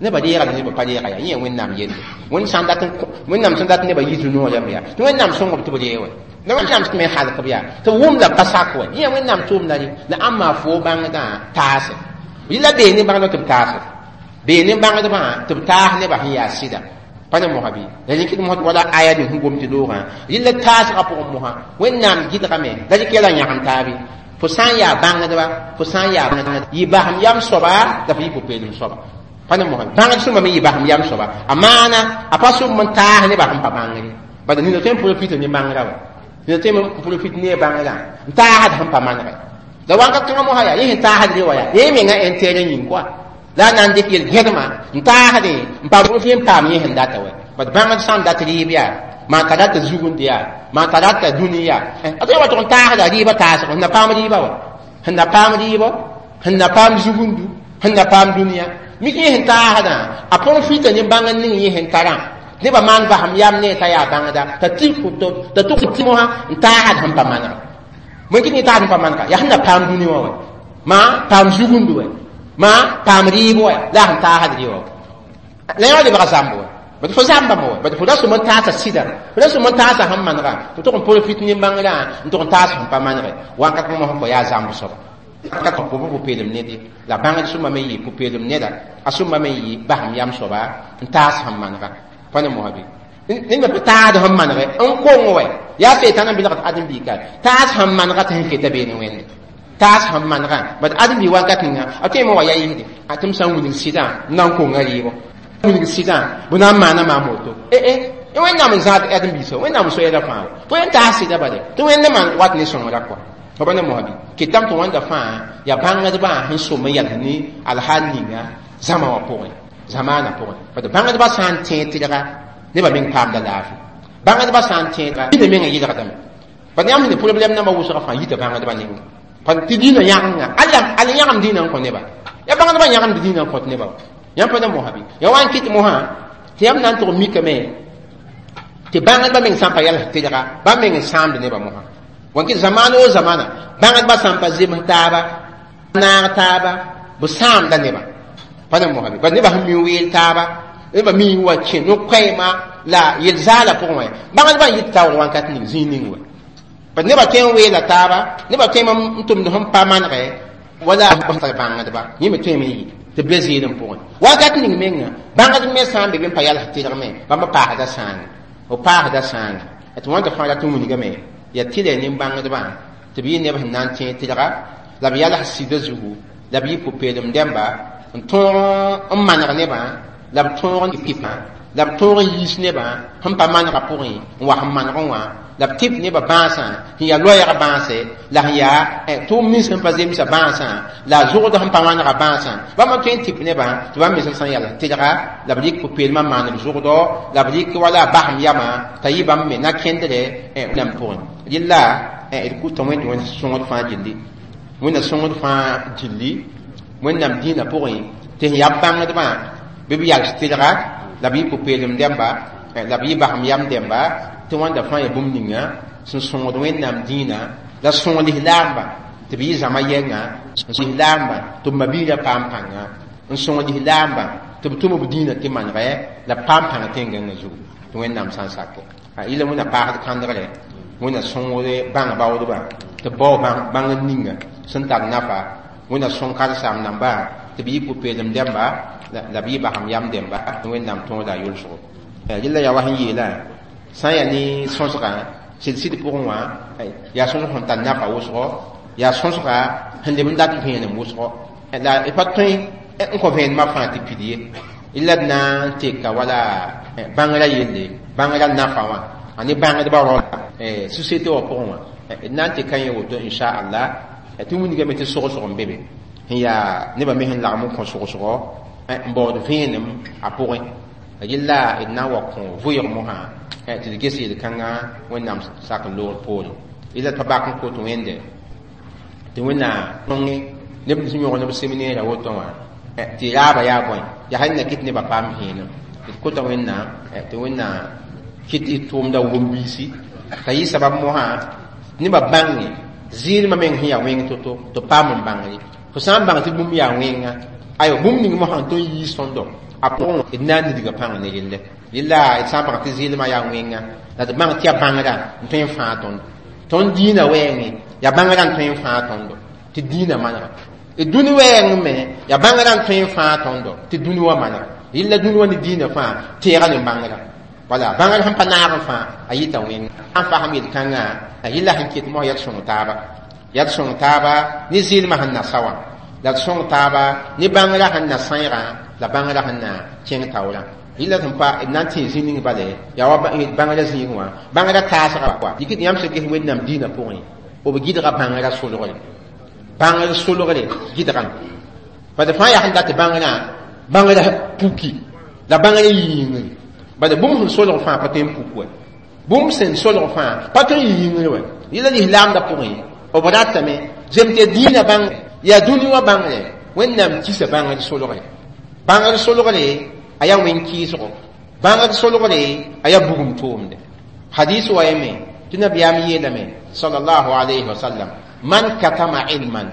nebã reega la nebã pa reega yaa yẽ yaa wẽnnaam yelle wẽnnaam sẽn dat nebã yɩ zu-noog rãmb yaa tɩ wẽnnaam sõng b tɩ b reeg wɛ la wẽnnaam me halk b yaa tɩ b wʋmda pa sak wɛ yẽ yaa wẽnnaam tʋʋmda rɩ la ãmba fo bãngdã taase rɩla bee ne bãngdbã tɩ b taase bee ne bãngdbã tɩ b taas nebã sẽn yaa sɩda pa ne mosã bɩ la rẽkɩd mosã wala aya ning sẽn gom tɩ loogã rɩla taasgã pʋgẽ mosã wẽnnaam gɩdgame la rɩk yɛla yãgem taabe fo sã n yaa bãngdba fo sã n yaa yɩ basem yam soaba la fo yɩ pʋ-peelem soaba pa ne mosã bãngd sõma me yɩ basem yam soaba a maana a pa sõm n taas nebã sẽn pa bãngre bala nina tõe n profit ne bãngrã wa nina tõe n profit ne bãngrã n taasd sẽn pa manegɛ la wãnka kãngã mosã yaa yẽ sẽn taasd re wa yaa yẽ menga intérêt yĩng koa la a na n dɩk yel-gẽdmã n taasdẽ n pa profit n paam yẽ sẽn data wɛ bad bãngd sã n dat rɩɩb yaa maan t'a rata zugund yaa maan t'a rata dũni yaa a tõe wa tʋg n taasda rɩɩbã taasg sẽn na paam rɩɩbã wa sẽn na paam rɩɩbɔ sẽn na paam zugundu sẽn na paam dũniyã mik yẽ sẽn taasdã a profita ne bãng n ning yẽ sẽn tarã nebã maan basem yam ne t'a yaa bãngda t'a tɩ t'a tʋg tɩ mosã n taasd sẽn pa manega bõe kɩt ne taasd sẽn pa manega yaa sẽn na paam dũni wã wɛ maa paam zugundu wɛ maa paam rɩɩb wɛ la a sẽn taasd rɩ wã la yã lebga zãmb wɛ bad fo zãmbame wɛ bad fo ra sõm n taasa sɩda fo ra sõm n taasa sẽn manega fo tʋg n profit ne bãngrã n tʋg n taas sẽn pa manege wãnkat mosã fo yaa zãmb soaba ka fo pa pʋ-peelem ned ye la bãngd sõma me yɩ pʋ-peelem neda a sõma me yɩ basem yam soaba n taas sẽn manega pa ne mosã bɩ ned pa taasd sẽn manege n kong wɛ yaa seetãn n belgd ãdem-biika taas sẽn manega tɩ sẽn keta beene wẽnde Taas sẽn manegã bad ãdem-bi wakat ninga a tõeme wa ya yɩsde a tɩ m sã n wilg sɩdã m na n konga rɩɩbɔ wilg sɩdã bɩ na n maana maam woto e Wẽnnaam n zãad ãdem-biisã Wẽnnaam so-yɛlã fãa wa fo yẽn taas sɩdã bale tɩ Wẽnd maan wat ne sõngrã kɔa fa ne mosabi ketame tɩ wãnda fãa yaa bãngdbã sẽn som n yals ne alhaal ninga zãma wã pʋgẽ zamaanã pʋgẽ bad bãngdbã sã n tẽeg tɩlga nebã meng paamda laafɩ bãngdbã sã n tẽega dĩnã mengã yɩlgdame bad yãmb sẽn problɛm nambã wʋsgã fãa yita bãngdbã ninga tɩ dĩnã yãgenga al yãgem dĩnã n kõ neba ya bãngdbã yãgemd dĩnã n kõt neba yãmb pa ne mosa bɩ ya wa n kɩt mosã tɩ yãmb na n tʋg mikame tɩ bãngdbã meng sã n pa yals tɩlga bãmb meng n sãamd nebã mosã wan kɩt zamaan o zamana bãngdbã sã n pa zems taaba naag taaba b sãamda nebã pa ne mosa bɩ bad nebã sẽn mi weel taaba nebã mi wa kẽ no-koɛɛma la yel-zaala pʋgẽ wã bãngdbã n yit taoor wãnkat ning zĩig ning wa bad nebã tõe n weela taaba nebã tõe n tʋmd sẽn pa manegɛ wala bãngdba yẽ me tõeme n yɩ tɩ b be zɩɩdem pʋgẽ wakat ning menga bãngd me sã n be be n pa yals tɩlgme bãmb paasda sãanga b paasda sãanga tɩ wãnta fãa rat n wilgame yaa tɩlɛ nin-bãngdbã tɩ b yɩ neb sẽn na n tẽeg tɩlga la b yals sɩda zugu la b yɩ pʋ-peelem dẽmba n tõog n maneg nebã la b tõog n pɩpã la b tõog n yiis nebã sẽn pa manegã pʋgẽ n wa sẽn manegẽ wã la b tɩp nebã bãasã sẽn yaa loɛɛg bãase la sẽn yaa tʋʋm nins sẽn pa zemsa bãasã la a zʋgd sẽn pa manegã bãasã bãmb n tõe n tɩp nebã tɩ bãmb me sẽn sã n yals tɩlga la b rɩk pʋ-peelmã n maan b zʋgdɔ la b rɩk wala a basem yamã t'a yɩ bãmb me na-kẽndrɛ nam pʋgẽ rɩla d kʋta Wẽnd tɩ Wẽnd sõngd fãa gilli Wẽnna sõngd fãa gilli Wẽnnaam dĩinã pʋgẽ tɩ sẽn yaa bãngdbã bɩ b yals tɩlga la b yɩ pʋ-peelem dẽmba la b yɩ basem yam dẽmba tɩ wãnda fãa yaa bũmb ninga sẽn sõngd Wẽnnaam dĩinã la sõng lislaambã tɩ b yɩ zãma yɛnga lislaambã tɩ b mabiirã paam pãnga n sõng lislaambã tɩ b tʋm b dĩinã tɩ manegɛ la b paam pãng tẽn-gãngã zugu tɩ Wẽnnaam sã n sake yɩla Wẽnna paasd kãndgre Wẽnna sõngd bãng baoodbã tɩ b bao bãng ninga sẽn tar nafa Wẽnna sõng karen-saam nambã tɩ b yɩ pʋ-peelem dẽmba la b yɩ basem yam dẽmba tɩ Wẽnnaam tõoda a yʋlsgo rɩla yaa wa sẽn yeelã sã n yaa ne sõsgã sɩd-sɩd pʋgẽ wã yaa sõsg sẽn tar nafa wʋsgo yaa sõsga sẽn leb n dat vẽenem wʋsgo la d pa tõe n kõ vẽenemã fãa tɩ pid ye la d na n teka wala bãngrã yelle bãngrã nafa wã a ne bãngdbã rao société wã pʋgẽ wã d na n teka yẽ woto inchallah tɩ wilgame tɩ sogsg n be be sẽn yaa nebã me sẽn lagm n kõ sogsgɔ n baood vẽenem a pʋgẽ rɩla d na n wa kõ vʋɩg mosã tɩ d ges yel-kãngã Wẽnnaam sak n loogr poorẽ yella pa bak n kot Wẽnde tɩ Wẽnnaam sõnge neb sẽn yõg neb seminɛɛrã woto wã tɩ raaba yaa bõe yaa sẽn na kɩt nebã paam vẽenem d kota Wẽnnaam tɩ Wẽnnaam kɩt d tʋʋmda wʋm-biisi t'a yɩ sabab mosã nebã bãnge zɩɩlmã meng sẽn yaa wẽng to-to tɩ paam n bãngre fo sã n bãng tɩ bũmb yaa wẽnga ayo bũmb ning mosã n tõe n yiis tõndo a pʋgẽ d na n nidga pãng ne relle yella d sã n bãng tɩ zɩɩlmã yaa wẽnga la d bãng tɩ yaa bãngrã n tõe n fãa tõndo tõnd dĩinã wɛɛngẽ yaa bãngrã n tõe n fãa tõndo tɩ dĩinã manega d dũni wɛɛng me yaa bãngrã n tõe n fãa tõndo tɩ dũni wã manega yella dũni wã ne dĩinã fãa teega ne bãngrã wala bãngr sẽn pa naag n fãa a yita wẽnga n fasem yel-kãngã yella sẽn ket mos yaa d sõng taaba yaa d sõng taaba ne zɩɩlmã sẽn na sa wã la d sõng taaba ne bãngrã sẽn na sãeegã la bãngrã sẽn na kẽng taoorã yella sẽn pa d na n tẽ zĩ ning bale yaa wa bãngrã zĩig wã bãngrã taasga wa dɩk yãmb sẽn ges Wẽnnaam dĩinã pʋgẽ b gɩdga bãngrã solgre bãngr solgre gɩdgame bad fãa yaa sẽn dat bãngrã bãngrã puki la bãngrã yĩngre bad bũmb sẽn solg fãa pa tõe n puk wa bũmb sẽn solg fãa pa tõe n yĩngre wa yella lislaamdã pʋgẽ b ratame zem tɩ dĩinã bãngre yaa dũni wã bãngre Wẽnnaam kisa bãngr solgre bãngr solgre a yaa wẽn-kɩɩsgo bãngr solgre a yaa bugum tʋʋmde hadis wa yeme tɩ nabiyaam yeelame sallallahu alayhi wa sallam man katama ilman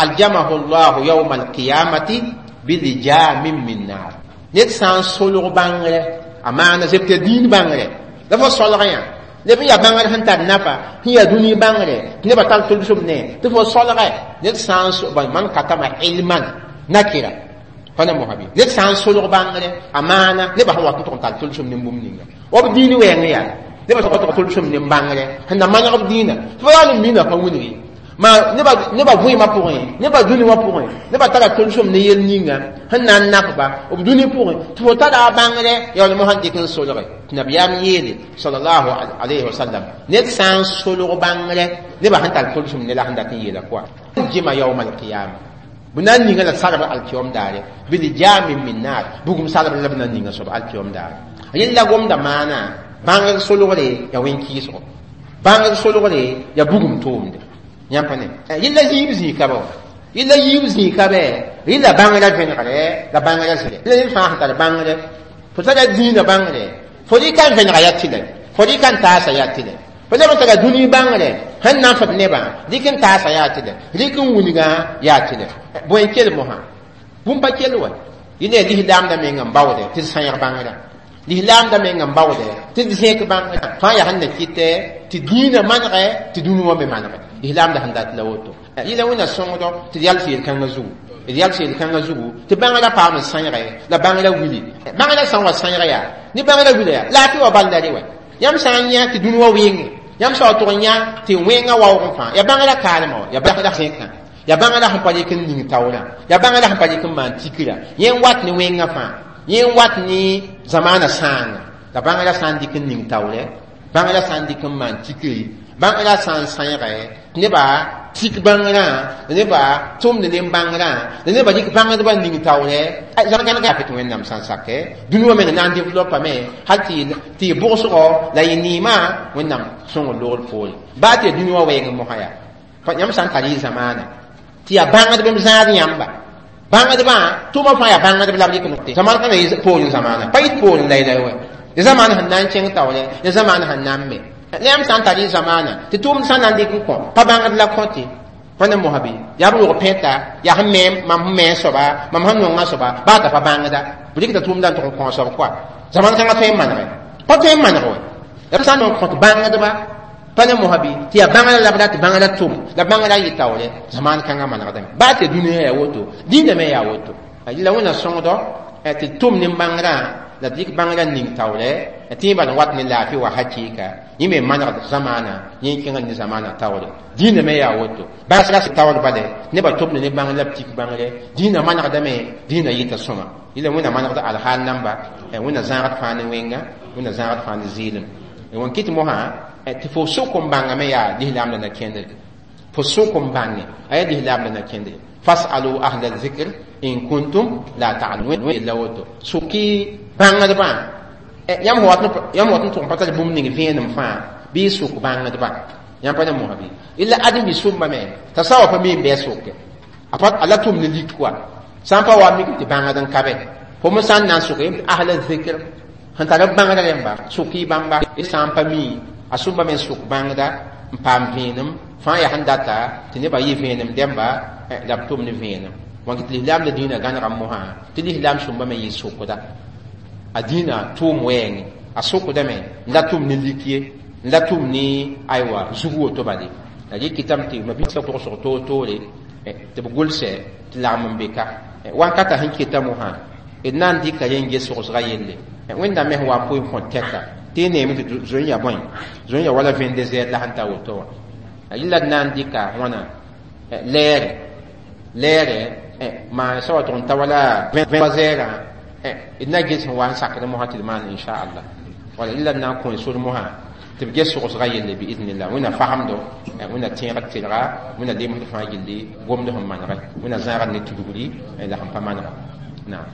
aljamahu llahu yawma alqiyamati bilijamin min nar ned sã n solg bãngre a maana zeb tɩ dĩin bãngre la fo solg yã neb n yaa bãngr sẽn tar nafa sẽn yaa dũni bãngre tɩ nebã tar tʋlsem ne tɩ fo solge ned sã n man katama ilman nakira pa na mosa bɩ ned sã n solg bãngre a maana nebã sẽn wat n tʋg n tar tʋlsem ne bũmb ninga wa b dĩin wɛɛng yaa nebã tʋg tʋlsem ne bãngre sẽn na maneg b dĩinã tɩ fo yaa n mina pa wilgi Ma neba vẽemã pʋgẽ, nebã dũni wã pʋgẽ, nebã tara tolsem ne yel ninga sẽn na n nakba b dũni pʋgẽ tɩ fo tara a bãngrɛ yaa wala mosã dɩk n solge tɩ nabiyaam yeele sallallahu alayhi wa sallam ned sã n solg bãngrɛ nebã sẽn tar tolsem ne la sẽn dat n yeela koa jima yawma alqiyama b na n ninga la sarb alkiyom daare bilijamin min nar bugum sarb la b na n ninga soab alkiyom daare yella gomda maana bãngr solgre yaa wẽn-kɩɩsgo bãngr solgre yaa bugum tʋʋmde yãmb pa ne yella yiib zĩig ka ba wa yella yiib zĩig ka bɛ rɩla bãngrã vẽnegre la bãngrã zɩle la ned fãa sẽn tar bãngre fo tara dĩinã bãngre fo rɩka n vẽnega yaa tɩlɛ fo rɩka n taasa yaa tɩlɛ fo leb n tara dũni bãngre sẽn na n fd nebã rɩk n taasa yaa tɩlɛ rɩk n wilgã yaa tɩlɛ bõe n kell mosã bũmb pa kell wa yẽla yaa lislaamdã meng n baoode tɩ d sãyg bãngrã lislaamdã meng n baoode tɩ d zẽk bãngrã fãa yaa sẽn na kɩtɛ tɩ dĩinã manegɛ tɩ dũni wã me manegɛ lislaamdã sẽn dat la woto yẽla wẽnna sõngdɔ tɩ d yals yel-kãngã zugu d yals yel-kãngã zugu tɩ bãngrã paam n sãyge la bãngrã wili bãngrã sã n wa sãyga yaa ne bãngrã wila yaa laafɩ wa bal la re wa yãmb sã n yã tɩ dũni wã wẽnge yãmb sã wa tʋg n yã tɩ wẽngã waoog fãa yaa bãngrã kaalmã wa yaa bãngrã zẽkã yaa bãngrã sẽn pa rɩk n ning taoorã yaa bãngrã sẽn pa rɩk n maan tikra yẽ n wat ne wẽngã fãa yẽ n wat ne zamaana sãanga la bãngrã sã n dɩk n ning taoorɛ bãngrã sã n dɩk n maan tikri bãngrã sã n sãyge tɩ nebã tik bãngrã nebã tʋmd ne bãngrã la nebã dɩk bãngdbã n ning taoorɛ zãgã tɩ wẽnnaam sã n sakɛ dũni wã meng na n developame hal tɩ y bʋgsgɔ la y neemã wẽnnaam sõngr loogr poore baa tɩ ya dũni wã wɛɛng mosã yaa yãmb sã n tar y zamaana tɩ yaa bãngdb m zãad yãmba bãngdbã tʋʋmã fãa yaa bãngdb la b rɩk note zamaan kãngã yɩ poorẽ zamaana pa yɩ poorẽ laylay wa ya zamaana sẽn na n kẽng taoorɛ ya zamaana sẽn na n me la yãmb sã n tar y zamaana tɩ tʋʋmd sã n na n dɩk n kõ pa bãngd la kõte pa ne mosã bɩ yaa b rog pẽta yaa sẽn me mam sẽn me soaba mam sẽn nonga soaba baa t'a pa bãngda b rɩkda tʋʋmdã n tʋg n kõ soab koa zaman kãngã tõe n manegɛ pa tõe n maneg wa la b sã n nong kõt bãngdba pa ne mosã bɩ tɩ yaa bãngrã la b rat bãngrã tʋm la bãngrã yɩ taoorɛ zaman kãngã manegdame baa tɩ dũniyã yaa woto dĩinã me yaa woto la wẽnna sõngdɔ tɩ tʋm ne bãngrã la dɩk bãngrã ning taoorɛ tɩ yẽ bal n wat ne laafɩ wa hakɩɩka yẽ me manegd zamaana yẽ kẽngr ne zamaana taoore dĩinã me yaa woto baa taoor bale nebã tʋmd ne bãngr la b tik bãngre dĩinã manegdame dĩinã yɩta sõma yẽla wẽnna manegd alhaal namba wẽnna zãagd fãa ne wẽnga wẽnna zãagd fãa ne zɩɩlem wẽn kɩt mosã tɩ fo sʋk n bãngame yaa lislaamdã na kẽndre fo sʋk n bãnge a yaa lislaamdã na kẽndre fasalu ahla zikr in kuntum la ta'lamun la woto sʋk-y bãngdbã yãmb wat n tʋg n pa tar bũmb ning vẽenem fãa bɩ y sʋk bãngdbã yãmb pa ne mosã bɩ illa ãdem-bi sʋmbame t'a sã wa pa mi n bɩ a sʋke a la tʋm ne lik wa sã n pa wa mik tɩ bãngd n ka be fo me sã n na n sʋk ahla zikr sẽn tar b bãngda rẽmba sʋk-y bãmba sã n pa mi a sũmba me n sʋk bãngda n paam vẽenem fãa yaa sẽn data tɩ nebã yɩ vẽenem dẽmba la b tʋm ne vẽenem wãn tɩ lislaam la dĩinã gãnega mosã tɩ lislaam sũmba me yɩ sʋkda a dĩinã tʋʋm wɛɛngẽ a sʋkdame n la tʋm ne lik ye n la tʋm ne aywa zug woto bale la rɩ kɩtame tɩ mabisa togsg toor-toore tɩ b gʋlsɛ tɩ lagm n be ka wankata sẽn keta mosã d na n dɩka rẽ n ges sogsga yelle wẽnnaam me sẽn wa n pʋɩ n kõ tɛka tɩ y neeme tɩ zoe n yaa bõe zoe n yaa wala vẽnde zɛɛd la sẽn ta woto wã yɩla d na n dɩka wãna lɛɛrɛ lɛɛrɛ maan sã wa tʋg n ta wala vẽ zɛɛrã d na ges sẽn wa n sakd mosã tɩ d maan inchallah wala yɩla d na n kõ sor mosã tɩ b ges sogsga yelle biiznillah wẽnna fasemdo wẽnna tẽegd tɩlga wẽnna lemsd fãa gilli gomd sẽn manegɛ wẽnna zãagd ne tudgri la sẽn pa manega naam.